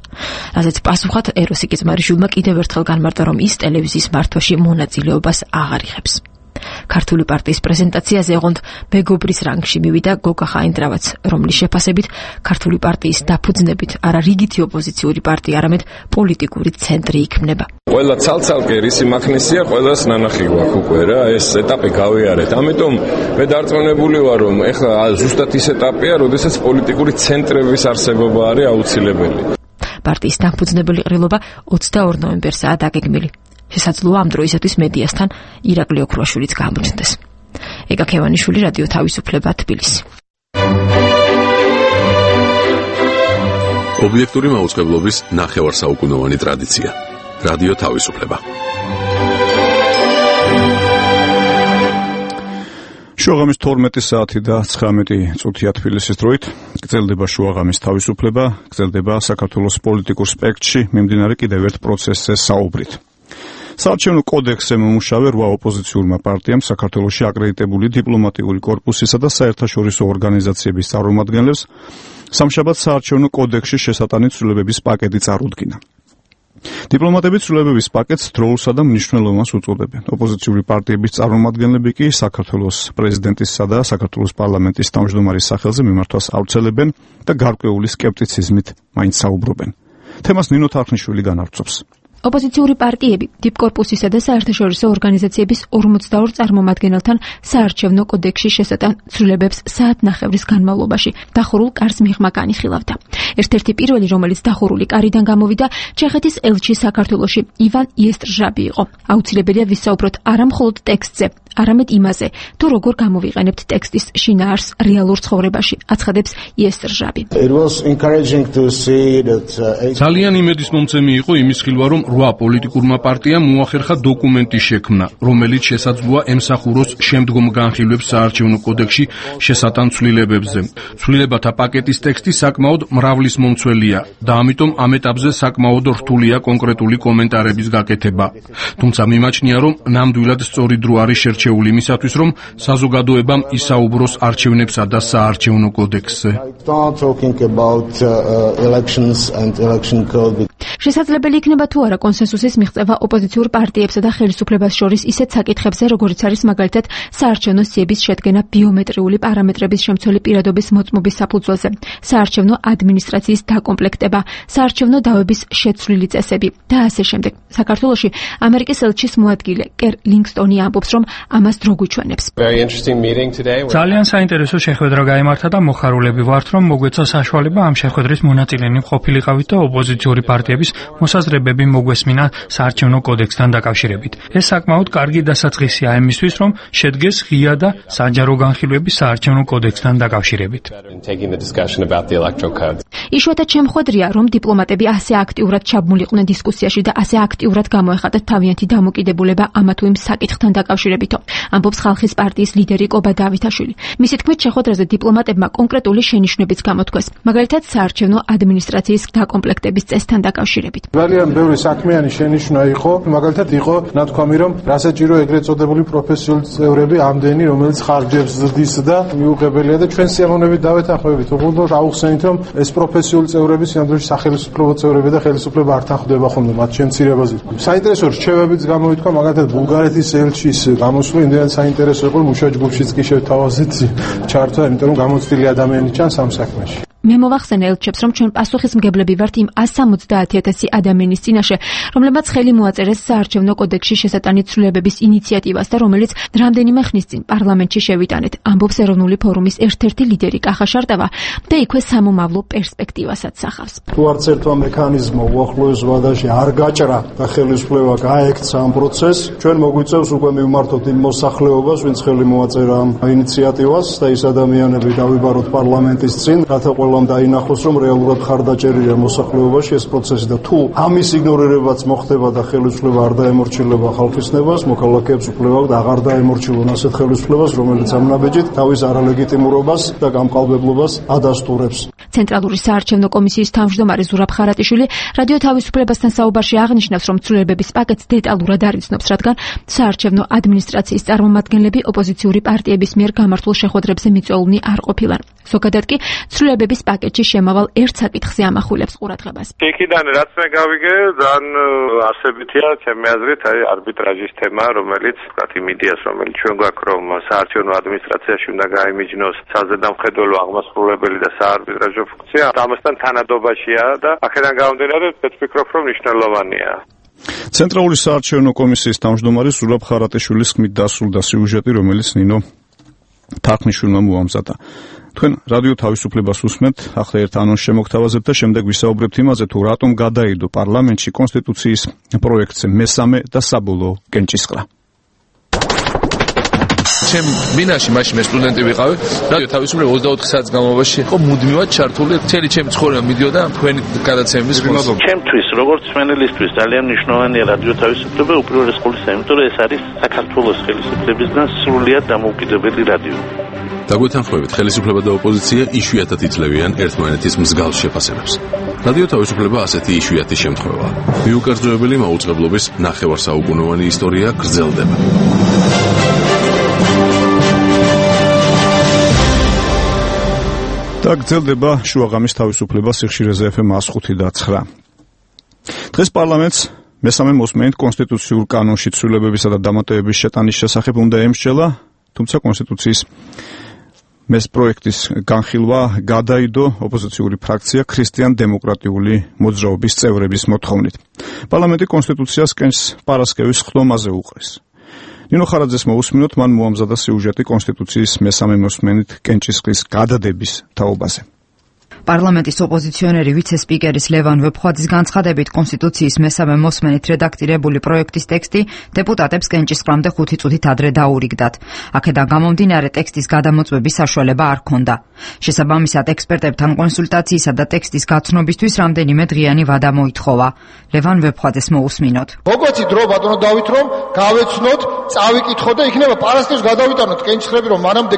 რაზეც პასუხად ეროსი კინწმარიშვილმა კიდევ ერთხელ განმარტა, რომ ის ტელევიზიის მართვაში მონაწილეობას აღარ იღებს. ქართული პარტიის პრეზენტაციაზე ოღონდ მეგობრის რანგში მივიდა გოგა ხაინდრავაც, რომლის შეფასებით ქართული პარტიის დაფუძნებით არა რიგითი ოპოზიციური პარტია, არამედ პოლიტიკური ცენტრი იქმნება. ყველა ცალ-ცალკე რისი მაქნისია, ყველას ნანახი გვაქვს უკვე რა, ეს ეტაპი გავიარეთ. ამიტომ მე დარწმუნებული ვარ, რომ ეხლა ზუსტად ის ეტაპია, როდესაც პოლიტიკური ცენტრების არსებობა არის აუცილებელი. პარტიის დამფუძნებელი ყრილობა 22 ნოემბერსაა დაგეგმილი. შესაძლოა ამ დროისათვის მედიასთან ირაკლი ოქრუაშვილიც გამოჩნდეს. ეკა ქევანიშვილი, რადიო თავისუფლება, თბილისი. ობიექტური მაუწყებლობის ნახევარსაუკუნოვანი ტრადიცია. რადიო თავისუფლება. შუაღამის 12 საათი და 19 წუთია თბილისის დროით. გრძელდება შუაღამის თავისუფლება, გრძელდება საქართველოს პოლიტიკურ სპექტრში მიმდინარე კიდევ ერთ პროცესზე საუბრით. საარჩევნო კოდექსზე მომუშავე 8 ოპოზიციურმა პარტიამ საქართველოში აკრედიტებული დიპლომატიური კორპუსისა და საერთაშორისო ორგანიზაციების წარმომადგენლებს სამშაბათ საარჩევნო კოდექსში შესატანი ცვლილებების პაკეტი წარუდგინა. დიპლომატები ცვლილებების პაკეტს დროულსა და მნიშვნელოვანს უწოდებენ. ოპოზიციური პარტიების წარმომადგენლები კი საქართველოს პრეზიდენტისა და საქართველოს პარლამენტის თავმჯდომარის სახელზე მიმართვას ავრცელებენ და გარკვეული სკეპტიციზმით მაინც საუბრობენ. თემას ნინო თარხნიშვილი განავრცობს. ოპოზიციური პარტიები დიპკორპუსისა და საერთაშორისო ორგანიზაციების 42 წარმომადგენელთან საარჩევნო კოდექსში შესატან ცვლილებებს საათნახევრის განმავლობაში დახურულ კარს მიღმა განიხილავდა. ერთ-ერთი პირველი, რომელიც დახურული კარიდან გამოვიდა, ჩეხეთის ელჩი საქართველოში ივან იესტრჟაბი იყო. აუცილებელია ვისაუბროთ არა მხოლოდ ტექსტზე, არამედ იმაზე, თუ როგორ გამოვიყენებთ ტექსტის შინაარსს რეალურ ცხოვრებაში, აცხადებს იესტრჟაბი. ძალიან იმედისმომცემი იყო იმის ხილვა, რომ 8 პოლიტიკურმა პარტიამ მოახერხა დოკუმენტის შექმნა, რომელიც შესაძლოა ემსახუროს შემდგომ განხილვებს საარჩევნო კოდექსში შესატან ცვლილებებზე. ცვლილებათა პაკეტის ტექსტი საკმაოდ მრავლისმომცველია და ამიტომ ამ ეტაპზე საკმაოდ რთულია კონკრეტული კომენტარების გაკეთება. თუმცა მიმაჩნია, რომ ნამდვილად სწორი დრო არის შერჩეული იმისათვის, რომ საზოგადოებამ ისაუბროს არჩევნებსა და საარჩევნო კოდექსზე. შესაძლებელი იქნება თუ არა კონსენსუსის მიღწევა ოპოზიციურ პარტიებსა და ხელისუფლებას შორის ისეთ საკითხებზე, როგორიც არის მაგალითად საარჩევნო სიების შედგენა ბიომეტრიული პარამეტრების შემცველი პირადობის მოწმობის საფუძველზე, საარჩევნო ადმინისტრაციის დაკომპლექტება, საარჩევნო დავების შეცვლილი წესები და ასე შემდეგ. საქართველოში ამერიკის ელჩის მოადგილე კერ ლინგსტონი ამბობს, რომ ამას დრო გვიჩვენებს. ძალიან საინტერესო შეხვედრა გაიმართა და მოხარულები ვართ, რომ მოგვეცა საშუალება ამ შეხვედრის მონაწილენი ყოფილიყავით და ოპოზიციური პარტიების მოსაზრებები მოგვესმინა საარჩევნო კოდექსთან დაკავშირებით. ეს საკმაოდ კარგი დასაწყისია იმისთვის, რომ შედგეს ღია და საჯარო განხილვები საარჩევნო კოდექსთან დაკავშირებით. იშვიათად შემხვედრია, რომ დიპლომატები ასე აქტიურად ჩაბმულიყვნენ დისკუსიაში და ასე აქტიურად გამოეხატათ თავიანთი დამოკიდებულება ამა თუ იმ საკითხთან დაკავშირებითო, ამბობს ხალხის პარტიის ლიდერი კობა დავითაშვილი. მისი თქმით, შეხვედრაზე დიპლომატებმა კონკრეტული შენიშვნებიც გამოთქვეს, მაგალითად საარჩევნო ადმინისტრაციის დაკომპლექტების წესთან დაკავშირებით. ძალიან ბევრი საქმიანი შენიშვნა იყო, მაგალითად იყო ნათქვამი, რომ რასაჭირო ეგრეთ წოდებული პროფესიული წევრები ამდენი, რომელიც ხარჯებს ზრდის და მიუღებელია და ჩვენ სიამოვნებით დავეთანხმებით. უბრალოდ აუხსენით, რომ ეს პროფესიული წევრები სამდროში სახელმწიფო წევრები და ხელისუფლება არ თანხმდება ხოლმე მათ შემცირებაზე. საინტერესო რჩევებიც გამოითქვა, მაგალითად ბულგარეთის ელჩის გამოსვლა იმდენად საინტერესო იყო, რომ მუშა ჯგუფშიც კი შევთავაზეთ ჩართვა, იმიტომ რომ გამოცდილი ადამიანი ჩანს ამ საქმეში. მე მოვახსენე ელჩებს, რომ ჩვენ პასუხისმგებლები ვართ იმ 170,000 ადამიანის წინაშე, რომლებმაც ხელი მოაწერეს საარჩევნო კოდექსში შესატანი ცვლილებების ინიციატივას და რომელიც რამდენიმე ხნის წინ პარლამენტში შევიტანეთ, ამბობს ეროვნული ფორუმის ერთ-ერთი ლიდერი კახა შარტავა და იქვე სამომავლო პერსპექტივასაც სახავს. თუ არც ერთმა მექანიზმმა უახლოეს ვადაში არ გაჭრა და ხელისუფლება გაექცა ამ პროცესს, ჩვენ მოგვიწევს უკვე მივმართოთ იმ მოსახლეობას, ვინც ხელი მოაწერა ამ ინიციატივას და ის ადამიანები დავიბაროთ პარლამენტის წინ, რათა ყველამ დაინახოს, რომ რეალურად ხარდაჭერია მოსახლეობაში ეს პროცესი და თუ ამის იგნორირებაც მოხდება და ხელისუფლება არ დაემორჩილება ხალხის ნებას, მოქალაქეებს უფლება და აღარ დაემორჩილონ ასეთ ხელისუფლებას, რომელიც ამ ნაბეჯით თავის არალეგიტიმურობას და გამყალბებლობას ადასტურებს. ცენტრალური საარჩევნო კომისიის თავმჯდომარე ზურაბ ხარატიშვილი რადიო თავისუფლებასთან საუბარში აღნიშნავს, რომ ცვლილებების პაკეტს დეტალურად არ იცნობს, რადგან საარჩევნო ადმინისტრაციის წარმომადგენლები ოპოზიციური პარტიების მიერ გამართულ შეხვედრებზე მიწვეულნი არ ყოფილან. ზოგადად კი ცვლილებების პაკეტში შემავალ ერთ საკითხზე ამახვილებს ყურადღებას. იქიდან რაც მე გავიგე, ძალიან არსებითია ჩემი აზრით, არბიტრაჟის თემა, რომელიც იმედიას, რომელიც ჩვენ გვაქვს, რომ საარჩევნო ადმინისტრაციაში უნდა გაიმიჯნოს საზედამხედველო აღმასრულებელი და საარბიტრაჟო ფუნქცია, ამასთან თანადობაშია და აქედან გამომდინარე, ვფიქრობ, რომ მნიშვნელოვანია. ცენტრალური საარჩევნო კომისიის თავმჯდომარე ზურაბ ხარატიშვილის ხმით დასრულდა სიუჟეტი, რომელიც ნინო თარხნიშვილმა მოამზადა. თქვენ რადიო თავისუფლებას უსმენთ, ახლა ერთ ანონსს შემოგთავაზებთ და შემდეგ ვისაუბრებთ იმაზე, თუ რატომ გადაიდო პარლამენტში კონსტიტუციის პროექტზე მესამე და საბოლოო კენჭისყრა. ჩემ მინაში მაშინ მე სტუდენტი ვიყავი, რადიო თავისუფლება 24 საათის განმავლობაში იყო მუდმივად ჩართული, მთელი ჩემი ცხოვრება მიდიოდა თქვენი გადაცემების ხმაზე. ჩემთვის, როგორც მენელისთვის, ძალიან მნიშვნელოვანია რადიო თავისუფლება უპირველეს ყოვლისა, იმიტომ რომ ეს არის საქართველოს ხელისუფლებისგან სრულიად დამოუკიდებელი რადიო. დაგვეთანხმებით, ხელისუფლება და ოპოზიცია იშვიათად იძლევიან ერთმანეთის მსგავს შეფასებებს. რადიო თავისუფლება ასეთი იშვიათი შემთხვევაა. მიუკერძოებელი მაუწყებლობის ნახევარსაუკუნოვანი ისტორია გრძელდება. და გრძელდება შუაღამის თავისუფლება სიხშირეზე FM 105.9. დღეს პარლამენტს მესამე მოსმენით კონსტიტუციურ კანონში ცვლილებებისა და დამატებების შეტანის შესახებ უნდა ემსჯელა, თუმცა კონსტიტუციის პროექტის განხილვა გადაიდო ოპოზიციური ფრაქცია ქრისტიან-დემოკრატიული მოძრაობის წევრების მოთხოვნით. პარლამენტი კონსტიტუციას კენჭს პარასკევის ხდომაზე უყრის. ნინო ხარაძეს მოусმინოთ, მან მოამზადა სიუჟეტი კონსტიტუციის მესამე მოსმენით კენჭისყრის გადადების თაობაზე. პარლამენტის ოპოზიციონერი ვიცე-სპიკერის ლევან ვეფხვაძის განცხადებით კონსტიტუციის მესამე მოსმენით რედაქტირებული პროექტის ტექსტი დეპუტატებს კენჭისყრამდე 5 წუთით ადრე დაურიგდათ. აქედან გამომდინარე ტექსტის გადამოწმების საშუალება არ ჰქონდა. შესაბამისად ექსპერტებთან კონსულტაციისა და ტექსტის გაცნობისთვის რამდენიმე დღიანი ვადა მოითხოვა. ლევან ვეფხვაძეს მოусმინოთ. მოგვეცით დრო ბატონო დავით რომ გავეცნოთ, წავიკითხოთ და იქნება პარასკევს გადავიტანოთ კენჭისყრები რომ მანამდე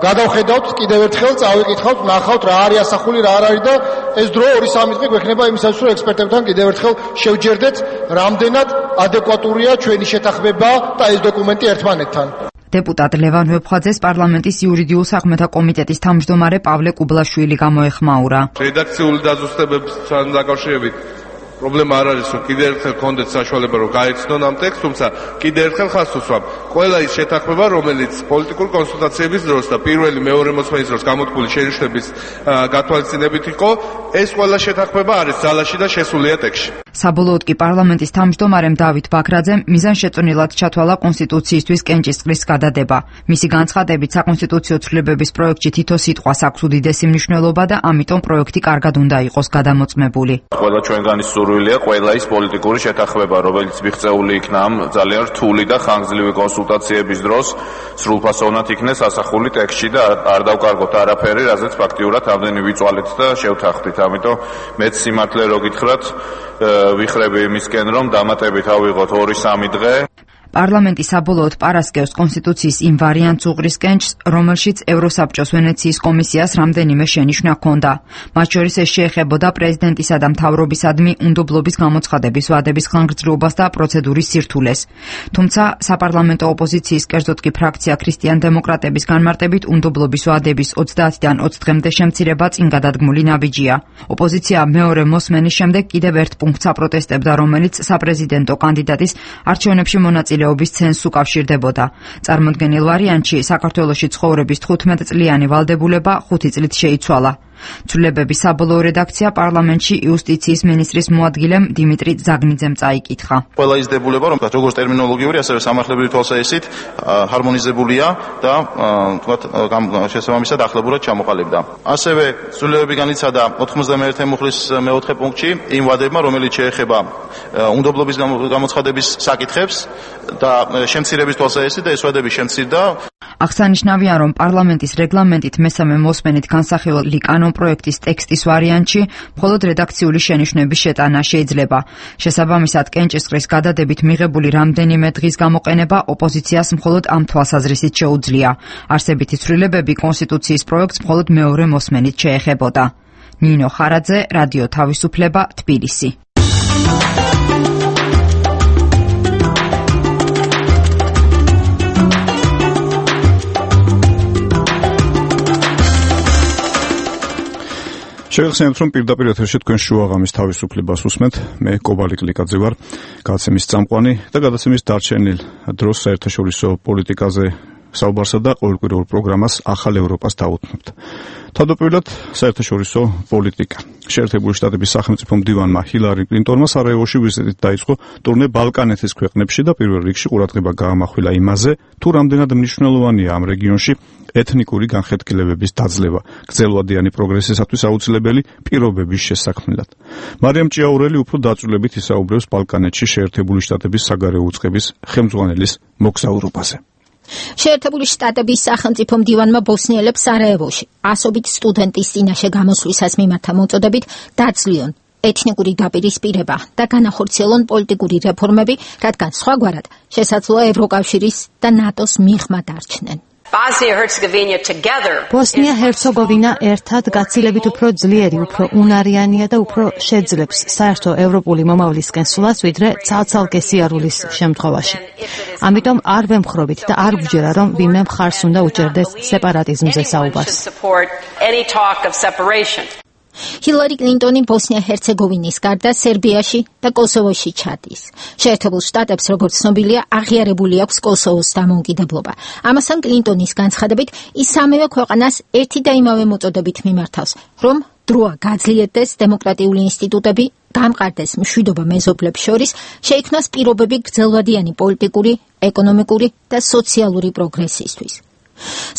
გადავხედავთ კიდევ ერთხელ წავიკითხავთ, ნახავთ რა არის ასახული რა არ არის და ეს დრო 2-3 დღე გვექნება იმისათვის რომ ექსპერტებთან კიდევ ერთხელ შევჯერდეთ რამდენად ადეკვატურია ჩვენი შეთანხმება და ეს დოკუმენტი ერთმანეთთან. დეპუტატ ლევან ვეფხვაძეს პარლამენტის იურიდიულ საქმეთა კომიტეტის თავმჯდომარე პავლე კუბლაშვილი გამოეხმაურა. რედაქციული დაზუსტებებთან დაკავშირებით პრობლემა არ არის, რომ კიდევ ერთხელ გქონდეთ საშუალება რომ გაეცნონ ამ ტექსტს, თუმცა კიდევ ერთხელ ხაზს უსვამ. ყველა ის შეთანხმება, რომელიც პოლიტიკური კონსულტაციების დროს და პირველი მეორე მოსმენის დროს გამოთქმული შენიშვნების გათვალისწინებით იყო, ეს ყველა შეთანხმება არის ძალაში და შესულია ტექსტში. საბოლოოდ კი პარლამენტის თავმჯდომარემ დავით ბაქრაძემ მიზანშეწონილად ჩათვალა კონსტიტუციისთვის კენჭისყრის გადადება. მისი განცხადებით საკონსტიტუციო ცვლილებების პროექტში თითო სიტყვას აქვს უდიდესი მნიშვნელობა და ამიტომ პროექტი კარგად უნდა იყოს გადამოწმებული. ყველა ჩვენგანის სურვილია ყველა ის პოლიტიკური შეთანხმება, რომელიც მიღწეული იქნა ამ ძალიან რთული და ხანგრძლივი კონსულტაციების დროს, სრულფასოვნად იქნეს ასახული ტექსტში და არ დავკარგოთ არაფერი, რაზეც ფაქტიურად ამდენი ვიწვალეთ და შევთანხმდით. ამიტომ მეც სიმართლე რო გითხრათ, ვიხრები იმისკენ, რომ დამატებით ავიღოთ 2-3 დღე. პარლამენტი საბოლოოდ პარასკევს კონსტიტუციის იმ ვარიანტს უყრის კენჭს, რომელშიც ევროსაბჭოს ვენეციის კომისიას რამდენიმე შენიშვნა ჰქონდა. მათ შორის ეს შეეხებოდა პრეზიდენტისა და მთავრობისადმი უნდობლობის გამოცხადების ვადების ხანგრძლივობას და პროცედურის სირთულეს. თუმცა საპარლამენტო ოპოზიციის, კერძოდ კი ფრაქცია ქრისტიან-დემოკრატების განმარტებით უნდობლობის ვადების 30-დან 20 დღემდე შემცირება წინ გადადგმული ნაბიჯია. ოპოზიცია მეორე მოსმენის შემდეგ კიდევ ერთ პუნქტს აპროტესტებდა, რომელიც საპრეზიდენტო კანდიდატის არჩევნებში მონაწილეობის ცენზს უკავშირდებოდა. წარმოდგენილ ვარიანტში საქართველოში ცხოვრების 15 წლიანი ვალდებულება 5 წლით შეიცვალა. ცვლილებების საბოლოო რედაქცია პარლამენტში იუსტიციის მინისტრის მოადგილემ დიმიტრი ზაგნიძემ წაიკითხა. ყველა ის დებულება, რომ როგორც ტერმინოლოგიური, ასევე სამართლებრივი თვალსაზრისით ჰარმონიზებულია და თქვათ შესაბამისად ახლებურად ჩამოყალიბდა. ასევე ცვლილებები განიცადა 91 მუხლის მეოთხე პუნქტში იმ ვადებმა, რომელიც შეეხება უნდობლობის გამოცხადების საკითხებს და შემცირების თვალსაზრისით და ეს ვადები შემცირდა. აღსანიშნავია, რომ პარლამენტის რეგლამენტით მესამე მოსმენით განსახილველი კანონპროექტის ტექსტის ვარიანტში მხოლოდ რედაქციული შენიშვნების შეტანა შეიძლება. შესაბამისად, კენჭისყრის გადადებით მიღებული რამდენიმე დღის გამოყენება ოპოზიციას მხოლოდ ამ თვალსაზრისით შეუძლია. არსებითი ცვლილებები კონსტიტუციის პროექტს მხოლოდ მეორე მოსმენით შეეხებოდა. ნინო ხარაძე, რადიო თავისუფლება, თბილისი. შეგახსენებთ, რომ პირდაპირ ეთერში თქვენ შუაღამის თავისუფლებას უსმენთ. მე კობალი კლიკაძე ვარ, გადაცემის წამყვანი და გადაცემის დარჩენილ დროს საერთაშორისო პოლიტიკაზე საუბარსა და ყოველკვირეულ პროგრამას ახალ ევროპას დაუთმობთ. თავდაპირველად საერთაშორისო პოლიტიკა. შეერთებული შტატების სახელმწიფო მდივანმა ჰილარი კლინტონმა სარაევოში ვიზიტით დაიწყო ტურნე ბალკანეთის ქვეყნებში და პირველ რიგში ყურადღება გაამახვილა იმაზე, თუ რამდენად მნიშვნელოვანია ამ რეგიონში ეთნიკური განხეთქილებების დაძლევა, გრძელვადიანი პროგრესისათვის აუცილებელი პირობების შესაქმნელად. მარიამ ჭიაურელი უფრო დაწვრილებით ისაუბრებს ბალკანეთში შეერთებული შტატების საგარეო უწყების ხელმძღვანელის მოგზაურობაზე. შეერთებული შტატების სახელმწიფო მდივანმა ბოსნიელებს სარაევოში ასობით სტუდენტის წინაშე გამოსვლისას მიმართა მოწოდებით დაძლიონ ეთნიკური დაპირისპირება და განახორციელონ პოლიტიკური რეფორმები, რადგან სხვაგვარად შესაძლოა ევროკავშირის და ნატოს მიღმა დარჩნენ. ბოსნია-ჰერცეგოვინა ერთად გაცილებით უფრო ძლიერი, უფრო უნარიანია და უფრო შეძლებს საერთო ევროპული მომავლისკენ სვლას, ვიდრე ცალ-ცალკე სიარულის შემთხვევაში. ამიტომ არ ვემხრობით და არ გვჯერა, რომ ვინმე მხარს უნდა უჭერდეს სეპარატიზმზე საუბარს. ჰილარი კლინტონი ბოსნია-ჰერცეგოვინის გარდა სერბიაში და კოსოვოში ჩადის. შეერთებულ შტატებს, როგორც ცნობილია, აღიარებული აქვს კოსოვოს დამოუკიდებლობა. ამასთან კლინტონის განცხადებით, ის სამივე ქვეყანას ერთი და იმავე მოწოდებით მიმართავს, რომ დროა გაძლიერდეს დემოკრატიული ინსტიტუტები, გამყარდეს მშვიდობა მეზობლებს შორის, შეიქმნას პირობები გრძელვადიანი პოლიტიკური, ეკონომიკური და სოციალური პროგრესისთვის.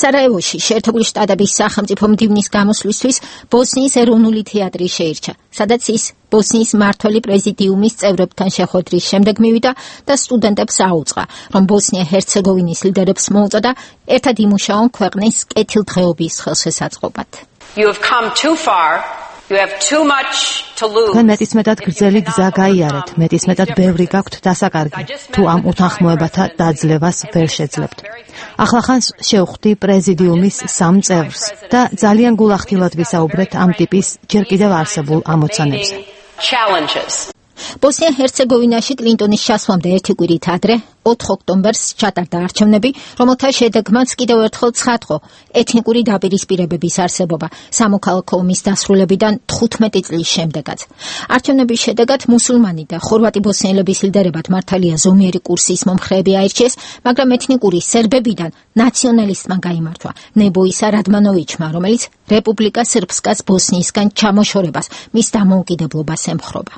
სარაევოში შეერთებული შტატების სახელმწიფო მდივნის გამოსვლისთვის ბოსნიის ეროვნული თეატრი შეირჩა, სადაც ის ბოსნიის მმართველი პრეზიდიუმის წევრებთან შეხვედრის შემდეგ მივიდა და სტუდენტებს აუწყა, რომ ბოსნია-ჰერცეგოვინის ლიდერებს მოუწოდა ერთად იმუშაონ ქვეყნის კეთილდღეობის ხელშესაწყობად. You have come too far. You have too much to lose. მეტისმეტად გრძელი გზა გაიარეთ, მეტისმეტად ბევრი გაქვთ დასაკარგი, თუ ამ უთანხმოებათა დაძლევას ვერ შეძლებთ. ახლახანს შევხვდი პრეზიდიუმის 3 წევრს და ძალიან გულახდილად ვისაუბრეთ ამ ტიპის ჯერ კიდევ არსებულ ამოცანებზე. ბოსნია-ჰერცეგოვინაში კლინტონის ჩასვლამდე ერთი კვირით ადრე, 4 ოქტომბერს ჩატარდა არჩევნები, რომელთა შედეგმაც კიდევ ერთხელ ცხადყო ეთნიკური დაპირისპირებების არსებობა სამოქალაქო ომის დასრულებიდან 15 წლის შემდეგაც. არჩევნების შედეგად მუსულმანი და ხორვატი ბოსნიელების ლიდერებად მართალია ზომიერი კურსის მომხრეები აირჩიეს, მაგრამ ეთნიკური სერბებიდან ნაციონალისტმა გაიმართვა ნებოისა რადმანოვიჩმა, რომელიც რეპუბლიკა სრბსკას ბოსნიისგან ჩამოშორებას მის დამოუკიდებლობას ემხრობა.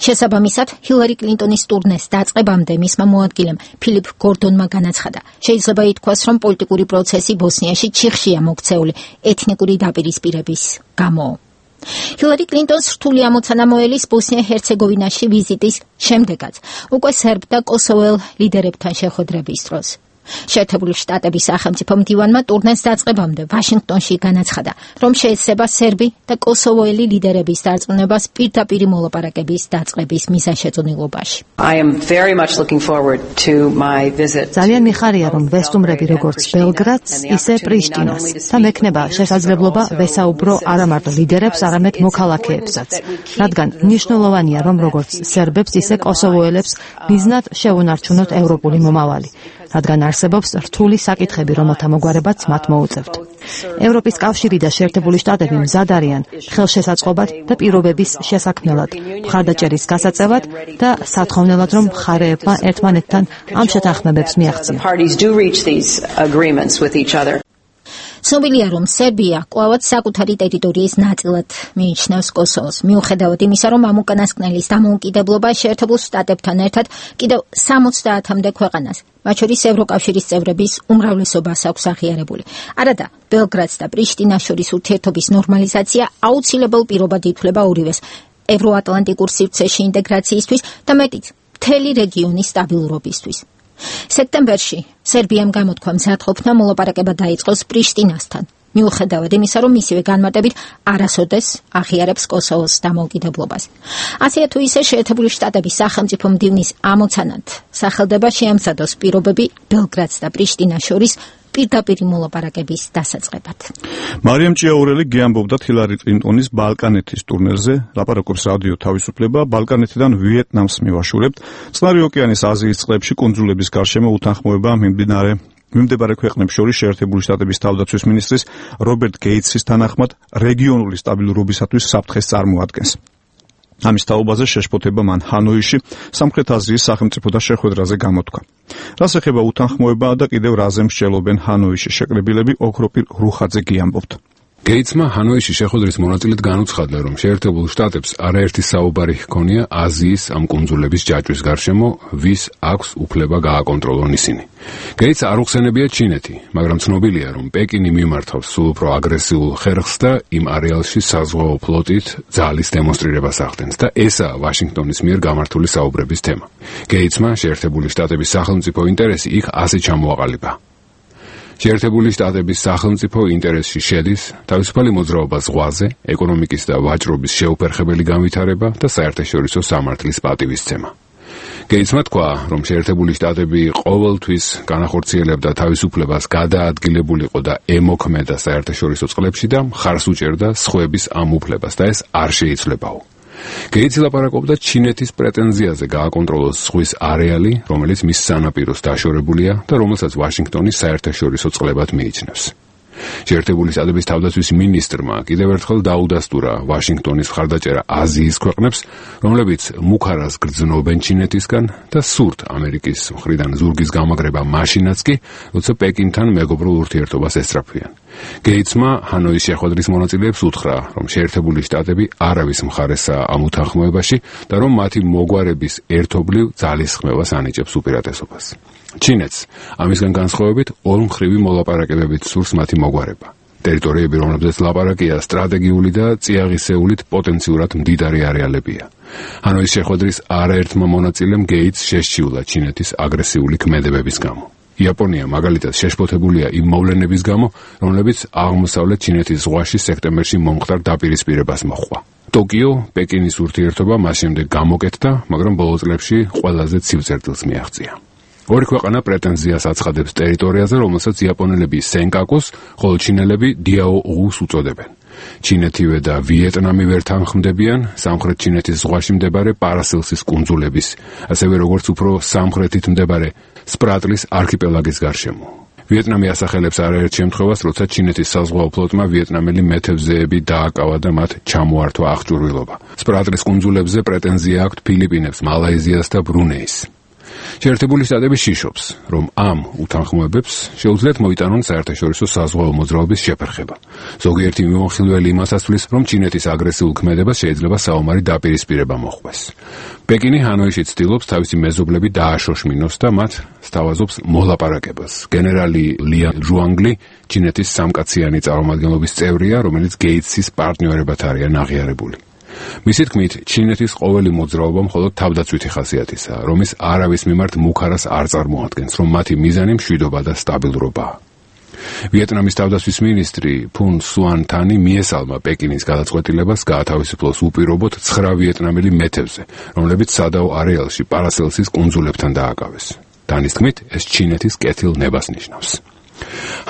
შესაბამისად, ჰილარი კლინტონის ტურნეს დაწყებამდე მისმა მოადგილემ ფილიპ გორდონმა განაცხადა, შეიძლება ითქვას, რომ პოლიტიკური პროცესი ბოსნიაში ჩიხშია მოქცეული ეთნიკური დაპირისპირების გამო. ჰილარი კლინტონს რთული ამოცანა მოელის ბოსნია-ჰერცეგოვინაში ვიზიტის შემდეგაც, უკვე სერბ და კოსოველ ლიდერებთან შეხვედრების დროს. შეერთებული შტატების სახელმწიფო მდივანმა ტურნეს დაწყებამდე ვაშინგტონში განაცხადა, რომ შეეცდება სერბი და კოსოვოელი ლიდერების დარწმუნებას პირდაპირი მოლაპარაკების დაწყების მიზანშეწონილობაში. ძალიან მიხარია, რომ ვესტუმრები როგორც ბელგრადს, ისე პრიშტინას და მექნება შესაძლებლობა ვესაუბრო არა მარტო ლიდერებს, არამედ მოქალაქეებსაც, რადგან მნიშვნელოვანია, რომ როგორც სერბებს, ისე კოსოვოელებს მიზნად შევუნარჩუნოთ ევროპული მომავალი. რადგან არსებობს რთული საკითხები, რომელთა მოგვარებაც მათ მოუწევთ. ევროპის კავშირი და შეერთებული შტატები მზად არიან ხელშესაწყობად და პირობების შესაქმნელად, მხარდაჭერის გასაწევად და სათხოვნელად, რომ მხარეებმა ერთმანეთთან ამ შეთანხმებებს მიაღწიონ. ცნობილია, რომ სერბია კვლავაც საკუთარი ტერიტორიის ნაწილად მიიჩნევს კოსოვოს, მიუხედავად იმისა, რომ ამ უკანასკნელის დამოუკიდებლობა შეერთებულ შტატებთან ერთად კიდევ 70-მდე ქვეყანას, მათ შორის ევროკავშირის წევრების უმრავლესობას აქვს აღიარებული. არადა, ბელგრადს და პრიშტინას შორის ურთიერთობის ნორმალიზაცია აუცილებელ პირობად ითვლება ორივეს ევროატლანტიკურ სივრცეში ინტეგრაციისთვის და მეტიც, მთელი რეგიონის სტაბილურობისთვის. სექტემბერში სერბიამ გამოთქვა მზადყოფნა მოლაპარაკება დაიწყოს პრიშტინასთან, მიუხედავად იმისა, რომ მისივე განმარტებით არასოდეს აღიარებს კოსოვოს დამოუკიდებლობას. ასე თუ ისე შეერთებული შტატების სახელმწიფო მდივნის ამოცანად სახელდება შეამზადოს პირობები ბელგრადს და პრიშტინას შორის პირდაპირი მოლაპარაკების დასაწყებად. მარიამ ჭიაურელი გეამბობდა ჰილარი კლინტონის ბალკანეთის ტურნირზე, ლაპარაკობს რადიო თავისუფლება, ბალკანეთიდან ვიეტნამს მივაშურებთ, წყნარი ოკეანის აზიის წყლებში კუნძულების გარშემო უთანხმოება მიმდებარე ქვეყნებს შორის შეერთებული შტატების თავდაცვის მინისტრის რობერტ გეიტსის თანახმად რეგიონული სტაბილურობისათვის საფრთხეს წარმოადგენს. ამის თაობაზე შეშფოთება მან ჰანოიში სამხრეთ აზიის სახელმწიფოთა შეხვედრაზე გამოთქვა. რას ეხება უთანხმოება და კიდევ რაზე მსჯელობენ ჰანოიში შეკრებილები, ოქროპირ რუხაძე გიამბობთ. გეიტსმა ჰანოიში შეხვედრის მონაწილედ განუცხადა, რომ შეერთებულ შტატებს არაერთი საუბარი ჰქონია აზიის ამ კუნძულების ჯაჭვის გარშემო, ვის აქვს უფლება გააკონტროლონ ისინი. გეიტს არ უხსენებია ჩინეთი, მაგრამ ცნობილია, რომ პეკინი მიმართავს სულ უფრო აგრესიულ ხერხს და იმ არეალში საზღვაო ფლოტით ძალის დემონსტრირებას ახდენს და ესაა ვაშინგტონის მიერ გამართული საუბრების თემა. გეიტსმა შეერთებული შტატების სახელმწიფო ინტერესი იქ ასე ჩამოაყალიბა. შეერთებული შტატების სახელმწიფო ინტერესში შედის თავისუფალი მოძრაობა ზღვაზე, ეკონომიკის და ვაჭრობის შეუფერხებელი განვითარება და საერთაშორისო სამართლის პატივისცემა. გეიტსმა თქვა, რომ შეერთებული შტატები ყოველთვის განახორციელებდა თავისუფლებას გადაადგილებულიყო და ემოქმედა საერთაშორისო წყლებში და მხარს უჭერდა სხვების ამ უფლებას და ეს არ შეიძლებაო. გეიტსი ლაპარაკობდა ჩინეთის პრეტენზიაზე გააკონტროლოს ზღვის არეალი, რომელიც მის სანაპიროს დაშორებულია და რომელსაც ვაშინგტონი საერთაშორისო წყლებად მიიჩნევს. შეერთებული შტატების თავდაცვის მინისტრმა კიდევ ერთხელ დაუდასტურა ვაშინგტონის მხარდაჭერა აზიის ქვეყნებს, რომლებიც მუქარას გრძნობენ ჩინეთისგან და სურთ ამერიკის მხრიდან ზურგის გამაგრება მაშინაც კი, როცა პეკინთან მეგობრულ ურთიერთობას ესწრაფვიან. გეიცმა ჰანოის შეხვედრის მონაწილეებს უთხრა, რომ შეერთებული შტატები არავის მხარესაა ამ უთანხმოებაში და რომ მათი მოგვარების ერთობლივ ძალისხმევას ანიჭებს უპირატესობას. ჩინეთს ამისგან განსხვავებით ორმხრივი მოლაპარაკებებით სურს მათი მოგვარება. ტერიტორიები, რომლებზეც ლაპარაკია, სტრატეგიული და წიაღისეულით პოტენციურად მდიდარი არეალებია. ჰანოის შეხვედრის არაერთმა მონაწილემ გეიტს შესჩიულა ჩინეთის აგრესიული ქმედებების გამო. იაპონია მაგალითად შეშფოთებულია იმ მოვლენების გამო, რომლებიც აღმოსავლეთ ჩინეთის ზღვაში სექტემბერში მომხდარ დაპირისპირებას მოჰყვა. ტოკიო პეკინის ურთიერთობა მას შემდეგ გამოკეთდა, მაგრამ ბოლო წლებში ყველაზე ცივ წერტილს მიაღწია. ორი ქვეყანა პრეტენზიას აცხადებს ტერიტორიაზე, რომელსაც იაპონელები სენკაკუს, ხოლო ჩინელები დიაო უს უწოდებენ. ჩინეთივე და ვიეტნამი ვერ თანხმდებიან სამხრეთ ჩინეთის ზღვაში მდებარე პარასელსის კუნძულების, ასევე როგორც უფრო სამხრეთით მდებარე სპრატლის არქიპელაგის გარშემო. ვიეტნამი ასახელებს არაერთ შემთხვევას, როცა ჩინეთის საზღვაო ფლოტმა ვიეტნამელი მეთევზეები დააკავა და მათ ჩამოართვა აღჭურვილობა. სპრატლის კუნძულებზე პრეტენზია აქვთ ფილიპინებს, მალაიზიას და ბრუნეის. შეერთებული შტატები შიშობს, რომ ამ უთანხმოებებს შეუძლიათ მოიტანონ საერთაშორისო საზღვაო მოძრაობის შეფერხება. ზოგიერთი მიმოხილველი იმას ასვლის, რომ ჩინეთის აგრესიულ ქმედებას შეიძლება საომარი დაპირისპირება მოჰყვეს. პეკინი ჰანოიში ცდილობს თავისი მეზობლები დააშოშმინოს და მათ სთავაზობს მოლაპარაკებას. გენერალი ლიან ჟუანგლი ჩინეთის სამკაციანი წარმომადგენლობის წევრია, რომელიც გეიტსის პარტნიორებად არიან აღიარებული. მისი თქმით, ჩინეთის ყოველი მოძრაობა მხოლოდ თავდაცვითი ხასიათისაა, რომის არავის მიმართ მუქარას არ წარმოადგენს, რომ მათი მიზანი მშვიდობა და სტაბილურობაა. ვიეტნამის თავდაცვის მინისტრი ფუნ სუან თანი მიესალმა პეკინის გადაწყვეტილებას გაათავისუფლოს უპირობოდ 9 ვიეტნამელი მეთევზე, რომლებიც სადაო არეალში პარასელსის კუნძულებთან დააკავეს. თანის თქმით, ეს ჩინეთის კეთილ ნებას ნიშნავს.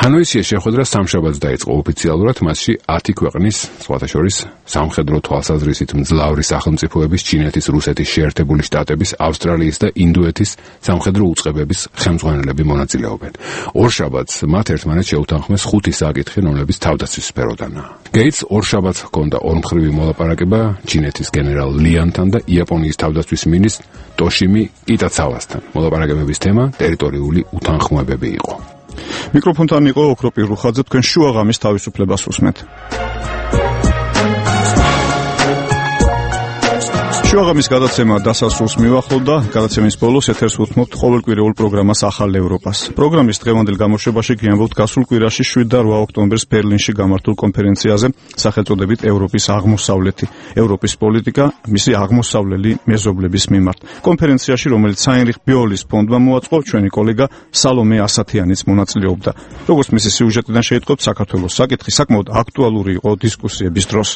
ჰანოის შეხვედრა სამშაბათს დაიწყო ოფიციალურად, მასში 10 ქვეყნის, სხვათა შორის სამხედრო თვალსაზრისით მძლავრი სახელმწიფოების, ჩინეთის, რუსეთის, შეერთებული შტატების, ავსტრალიის და ინდოეთის სამხედრო უწყებების ხელმძღვანელები მონაწილეობენ. ორშაბათს მათ ერთმანეთს შეუთანხმეს 5 საკითხი, რომლებიც თავდაცვის სფეროდანაა. გეიტს ორშაბათს ჰქონდა ორმხრივი მოლაპარაკება ჩინეთის გენერალ ლიანთან და იაპონიის თავდაცვის მინისტრ ტოშიმი კიტაცავასთან. მოლაპარაკებების თემა ტერიტორიული უთანხმოებები იყო. მიკროფონთან იყო ოქროპირ რუხაძე, თქვენ შუაღამის თავისუფლებას უსმენთ. შუაღამის გადაცემა დასასრულს მივახლოვდა. გადაცემის ბოლოს ეთერს უთმობთ ყოველკვირეულ პროგრამას ახალ ევროპას. პროგრამის დღევანდელ გამოშვებაში გიამბობთ გასულ კვირაში 7 და 8 ოქტომბერს ბერლინში გამართულ კონფერენციაზე სახელწოდებით ევროპის აღმოსავლეთი, ევროპის პოლიტიკა მისი აღმოსავლელი მეზობლების მიმართ. კონფერენციაში, რომელიც საინრიხ ბიოლის ფონდმა მოაწყო, ჩვენი კოლეგა სალომე ასათიანიც მონაწილეობდა. როგორც მისი სიუჟეტიდან შეიტყობთ, საქართველოს საკითხი საკმაოდ აქტუალური იყო დისკუსიების დროს.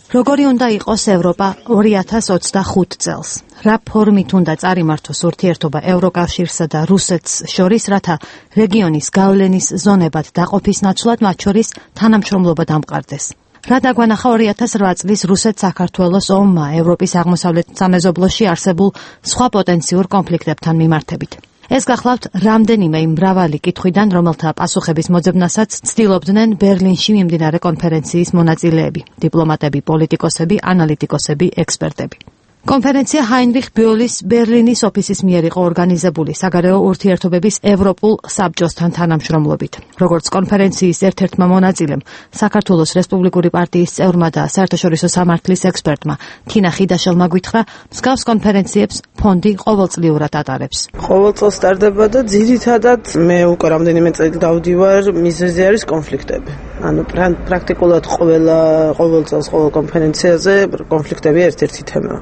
როგორი უნდა იყოს ევროპა 2025 წელს? რა ფორმით უნდა წარიმართოს ურთიერთობა ევროკავშირსა და რუსეთს შორის, რათა რეგიონის გავლენის ზონებად დაყოფის ნაცვლად მათ შორის თანამშრომლობა დამყარდეს? რა დაგვანახა 2008 წლის რუსეთ-საქართველოს ომმა ევროპის აღმოსავლეთ სამეზობლოში არსებულ სხვა პოტენციურ კონფლიქტებთან მიმართებით? ეს გახლავთ რამდენიმე იმ მრავალი კითხვიდან, რომელთა პასუხების მოძებნასაც ცდილობდნენ ბერლინში მიმდინარე კონფერენციის მონაწილეები, დიპლომატები, პოლიტიკოსები, ანალიტიკოსები, ექსპერტები. კონფერენცია ჰაინრიხ ბიოლის ბერლინის ოფისის მიერ იყო ორგანიზებული საგარეო ურთიერთობების ევროპულ საბჭოსთან თანამშრომლობით. როგორც კონფერენციის ერთ-ერთმა მონაწილემ, საქართველოს რესპუბლიკური პარტიის წევრმა და საერთაშორისო სამართლის ექსპერტმა თინა ხიდაშელმა გვითხრა, მსგავს კონფერენციებს ფონდი ყოველწლიურად ატარებს. ყოველ წელს ტარდება და ძირითადად მე უკვე რამდენიმე წელი დავდივარ, მიზეზი არის კონფლიქტები. ანუ პრაქტიკულად ყოველ წელს ყოველ კონფერენციაზე კონფლიქტები ერთ-ერთი თემაა.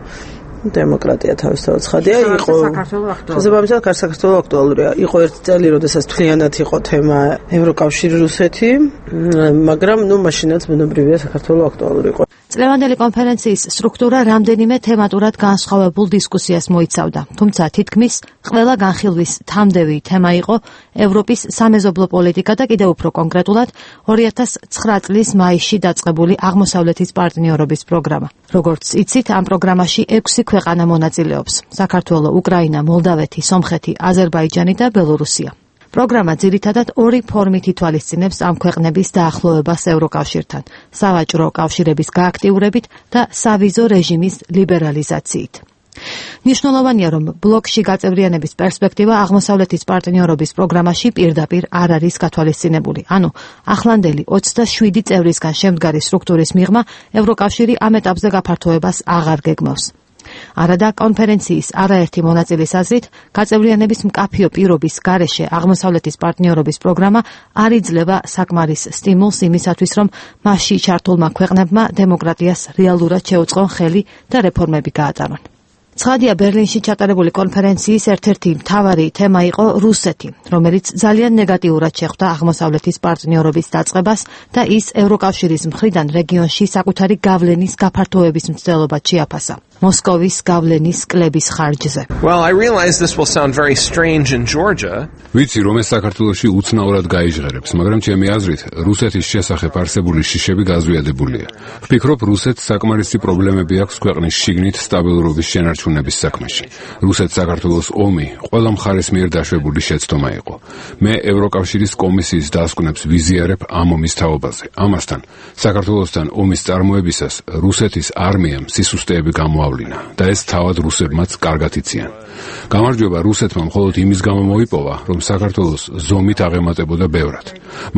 დემოკრატია თავისთავად ცხადია, იყო შესაბამისად საქართველოს აქტუალურია. იყო ერთი წელი, როდესაც თვლიანად იყო თემა ევროკავშირი რუსეთი, მაგრამ მაშინაც ბუნებრივია საქართველოს აქტუალური იყო. წლევანდელი კონფერენციის სტრუქტურა რამდენიმე თემატურად განსხვავებულ დისკუსიას მოიცავდა, თუმცა თითქმის ყველა განხილვის თამდევი თემა იყო ევროპის სამეზობლო პოლიტიკა და კიდევ უფრო კონკრეტულად 2009 წლის მაისში დაწყებული აღმოსავლეთის პარტნიორობის პროგრამა. როგორც იცით, ამ პროგრამაში 6 ქვეყანა მონაწილეობს: საქართველო, უკრაინა, მოლდავეთი, სომხეთი, აზერბაიჯანი და ბელორუსია. პროგრამა ძირითადად ორი ფორმით ითვალისწინებს ამ ქვეყნების დაახლოებას ევროკავშირთან: სავაჭრო კავშირების გააქტიურებით და სავიზო რეჟიმის ლიბერალიზაციით. მნიშვნელოვანია, რომ ბლოკში გაწევრიანების პერსპექტივა აღმოსავლეთის პარტნიორობის პროგრამაში პირდაპირ არ არის გათვალისწინებული. ანუ ახლანდელი 27 წევრისგან შემდგარი სტრუქტურის მიღმა ევროკავშირი ამ ეტაპზე გაფართოებას აღარ გეგმავს. არადა კონფერენციის არაერთი მონაწილის აზრით, გაწევრიანების მკაფიო პირობის გარეშე აღმოსავლეთის პარტნიორობის პროგრამა არ იძლევა საკმარის სტიმულს იმისათვის, რომ მასში ჩართულმა ქვეყნებმა დემოკრატიას რეალურად შეუწყონ ხელი და რეფორმები გაატარონ. ცხადია, ბერლინში ჩატარებული კონფერენციის ერთ-ერთი მთავარი თემა იყო რუსეთი, რომელიც ძალიან ნეგატიურად შეხვდა აღმოსავლეთის პარტნიორობის დაწყებას და ის ევროკავშირის მხრიდან რეგიონში საკუთარი გავლენის გაფართოების მცდელობად შეაფასა. მოსკოვის გავლენის კლების ხარჯზე. Well, I realize this will sound very strange in Georgia. ვიცი, რომ ეს საქართველოში უცნაურად გაიჟღერებს, მაგრამ ჩემი აზრით, რუსეთის შესახებ არსებული შიშები გაზვიადებულია. ვფიქრობ, რუსეთს საკმარისი პრობლემები აქვს ქვეყნის შიგნით სტაბილურობის შენარჩუნების საქმეში. რუსეთს საქართველოს ომი ყველა მხარეს მიერ დაშვებული შეცდომა იყო. მე ევროკავშირის კომისიის დასკვნებს ვიზიარებ ამ ომის თაობაზე. ამასთან, საქართველოსთან ომის წარმოებისას რუსეთის არმიამ სისუსტეები გამოავლინა და ეს თავად რუსებმაც კარგად იციან. გამარჯვება რუსეთმა მხოლოდ იმის გამო მოიპოვა, რომ საქართველოს ზომით აღემატებოდა ბევრად.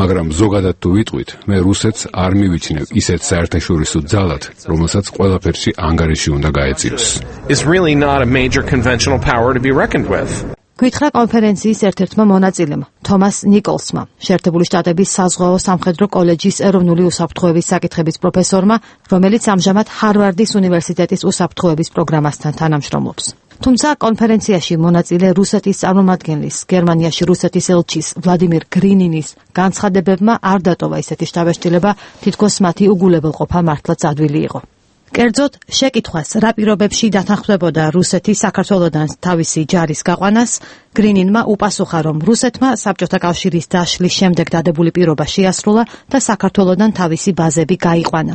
მაგრამ ზოგადად თუ ვიტყვით, მე რუსეთს არ მივიჩნევ ისეთ საერთაშორისო ძალად, რომელსაც ყველაფერში ანგარიში უნდა გაეწიოს. Is really not a major conventional power to be reckoned with. გითხრა კონფერენციის ერთ-ერთმა მონაწილემ, თომას ნიკოლსმა, შეერთებული შტატების საზღვაო სამხედრო კოლეჯის ეროვნული უსაფრთხოების საკითხების პროფესორმა, რომელიც ამჟამად ჰარვარდის უნივერსიტეტის უსაფრთხოების პროგრამასთან თანამშრომლობს. თუმცა კონფერენციაში მონაწილე რუსეთის წარმომადგენლის, გერმანიაში რუსეთის ელჩის ვლადიმირ გრინინის განცხადებებმა არ დატოვა ისეთი შთაბეჭდილება, თითქოს მათი უგულებელყოფა მართლაც ადვილი იყო. კერძოდ, შეკითხვას რა პირობებში დათანხმდებოდა რუსეთი საქართველოდან თავისი ჯარის გაყვანას, გრინინმა უპასუხა, რომ რუსეთმა საბჭოთა კავშირის დაშლის შემდეგ დადებული პირობა შეასრულა და საქართველოდან თავისი ბაზები გაიყვანა.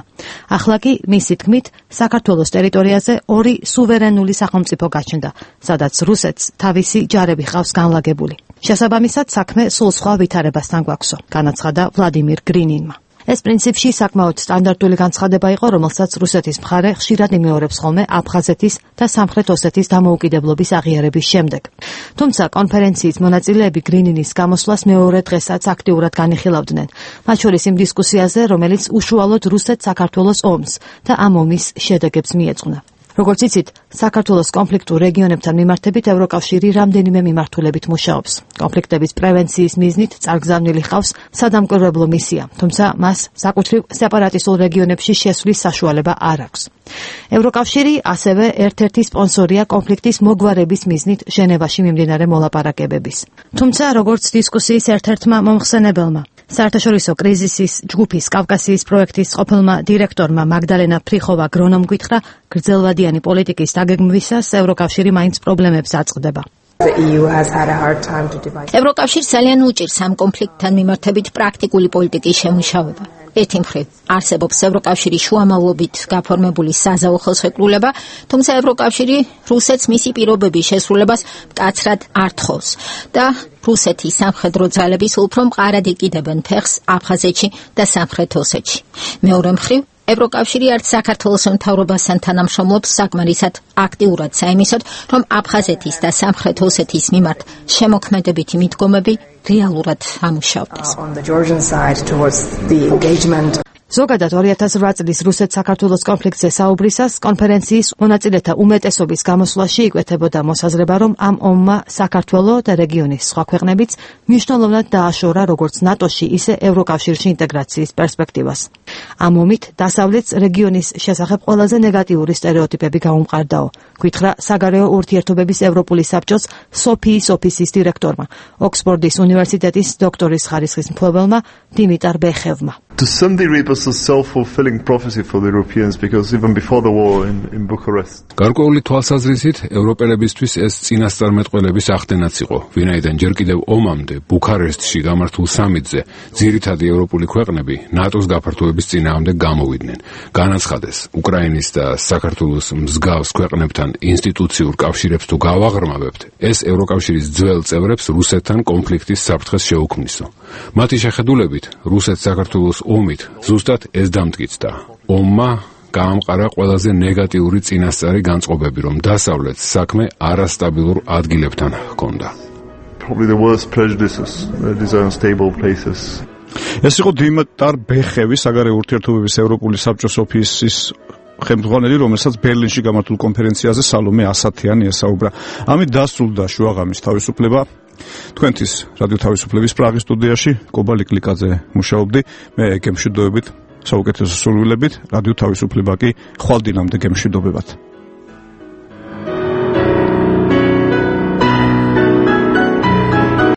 ახლა კი, მისი თქმით, საქართველოს ტერიტორიაზე ორი სუვერენული სახელმწიფო გაჩნდა, სადაც რუსეთს თავისი ჯარები ყავს განლაგებული. შესაბამისად, საქმე სულ სხვა ვითარებასთან გვაქვსო, განაცხადა ვლადიმირ გრინინმა. ეს პრინციპში საკმაოდ სტანდარტული განცხადება იყო, რომელსაც რუსეთის მხარე ხშირად იმეორებს ხოლმე აფხაზეთის და სამხრეთ ოსეთის დამოუკიდებლობის აღიარების შემდეგ. თუმცა კონფერენციის მონაწილეები გრინინის გამოსვლას მეორე დღესაც აქტიურად განიხილავდნენ, მათ შორის იმ დისკუსიაზე, რომელიც უშუალოდ რუსეთ-საქართველოს ომს და ამ ომის შედეგებს მიეძღვნა. როგორც იცით, საქართველოს კონფლიქტურ რეგიონებთან მიმართებით ევროკავშირი რამდენიმე მიმართულებით მუშაობს. კონფლიქტების პრევენციის მიზნით წარგზავნილი ჰყავს სადამკვირვებლო მისია, თუმცა მას საკუთრივ სეპარატისტულ რეგიონებში შესვლის საშუალება არ აქვს. ევროკავშირი ასევე ერთ-ერთი სპონსორია კონფლიქტის მოგვარების მიზნით ჟენევაში მიმდინარე მოლაპარაკებების. თუმცა, როგორც დისკუსიის ერთ-ერთმა მომხსენებელმა, საერთაშორისო კრიზისის ჯგუფის კავკასიის პროექტის ყოფილმა დირექტორმა მაგდალენა ფრიხოვა გრონომ გითხრა, გრძელვადიანი პოლიტიკის დაგეგმვისას ევროკავშირი მაინც პრობლემებს აწყდება. ევროკავშირს ძალიან უჭირს ამ კონფლიქტთან მიმართებით პრაქტიკული პოლიტიკის შემუშავება. ერთი მხრივ არსებობს ევროკავშირის შუამავლობით გაფორმებული საზავო ხელშეკრულება, თუმცა ევროკავშირი რუსეთს მისი პირობების შესრულებას მკაცრად არ თხოვს და რუსეთის სამხედრო ძალების უფრო მყარად იკიდებენ ფეხს აფხაზეთში და სამხრეთ ოსეთში. მეორე მხრივ ევროკავშირი არც საქართველოს მთავრობასთან თანამშრომლობს საკმარისად აქტიურად საიმისოდ, რომ აფხაზეთის და სამხრეთ ოსეთის მიმართ შემოქმედებითი მიდგომები რეალურად ამუშავდეს. ზოგადად 2008 წლის რუსეთ-საქართველოს კონფლიქტზე საუბრისას კონფერენციის მონაწილეთა უმეტესობის გამოსვლაში იკვეთებოდა მოსაზრება, რომ ამ ომმა საქართველო და რეგიონის სხვა ქვეყნებიც მნიშვნელოვნად დააშორა როგორც ნატოში, ისე ევროკავშირში ინტეგრაციის პერსპექტივას. ამ ომით დასავლეთს რეგიონის შესახებ ყველაზე ნეგატიური სტერეოტიპები გაუმყარდაო, გითხრა საგარეო ურთიერთობების ევროპული საბჭოს სოფიის ოფისის დირექტორმა, ოქსფორდის უნივერსიტეტის დოქტორის ხარისხის მფლობელმა დიმიტარ ბეხევმა. To some degree it was a self-fulfilling prophecy for the Europeans because even before the war in Bucharest. გარკვეული თვალსაზრისით ევროპელებისთვის ეს წინასწარმეტყველების ახდენაც იყო, ვინაიდან ჯერ კიდევ ომამდე ბუქარესტში გამართულ სამიტზე ძირითადი ევროპული ქვეყნები ნატოს გაფართოების წინააღმდეგ გამოვიდნენ. განაცხადეს, უკრაინის და საქართველოს მსგავს ქვეყნებთან ინსტიტუციურ კავშირებს თუ გავაღრმავებთ, ეს ევროკავშირის ძველ წევრებს რუსეთთან კონფლიქტის საფრთხეს შეუქმნისო. მათი შეხედულებით, რუსეთ-საქართველოს ომით ზუსტად ეს დამტკიცდა. ომმა გაამყარა ყველაზე ნეგატიური წინასწარი განწყობები, რომ დასავლეთს საქმე არასტაბილურ ადგილებთან ჰქონდა. Probably the worst prejudices, these are unstable places. ეს იყო დიმიტარ ბეხევი, საგარეო ურთიერთობების ევროპული საბჭოს ოფისის ხელმძღვანელი, რომელსაც ბერლინში გამართულ კონფერენციაზე სალომე ასათიანი ესაუბრა. ამით დასრულდა შუაღამის თავისუფლება. თქვენთვის რადიო თავისუფლების პრაღის სტუდიაში კობა ლიკლიკაძე მუშაობდი, მე გემშვიდობებით, საუკეთესო სურვილებით, რადიო თავისუფლება კი ხვალ დინამდე გემშვიდობებად.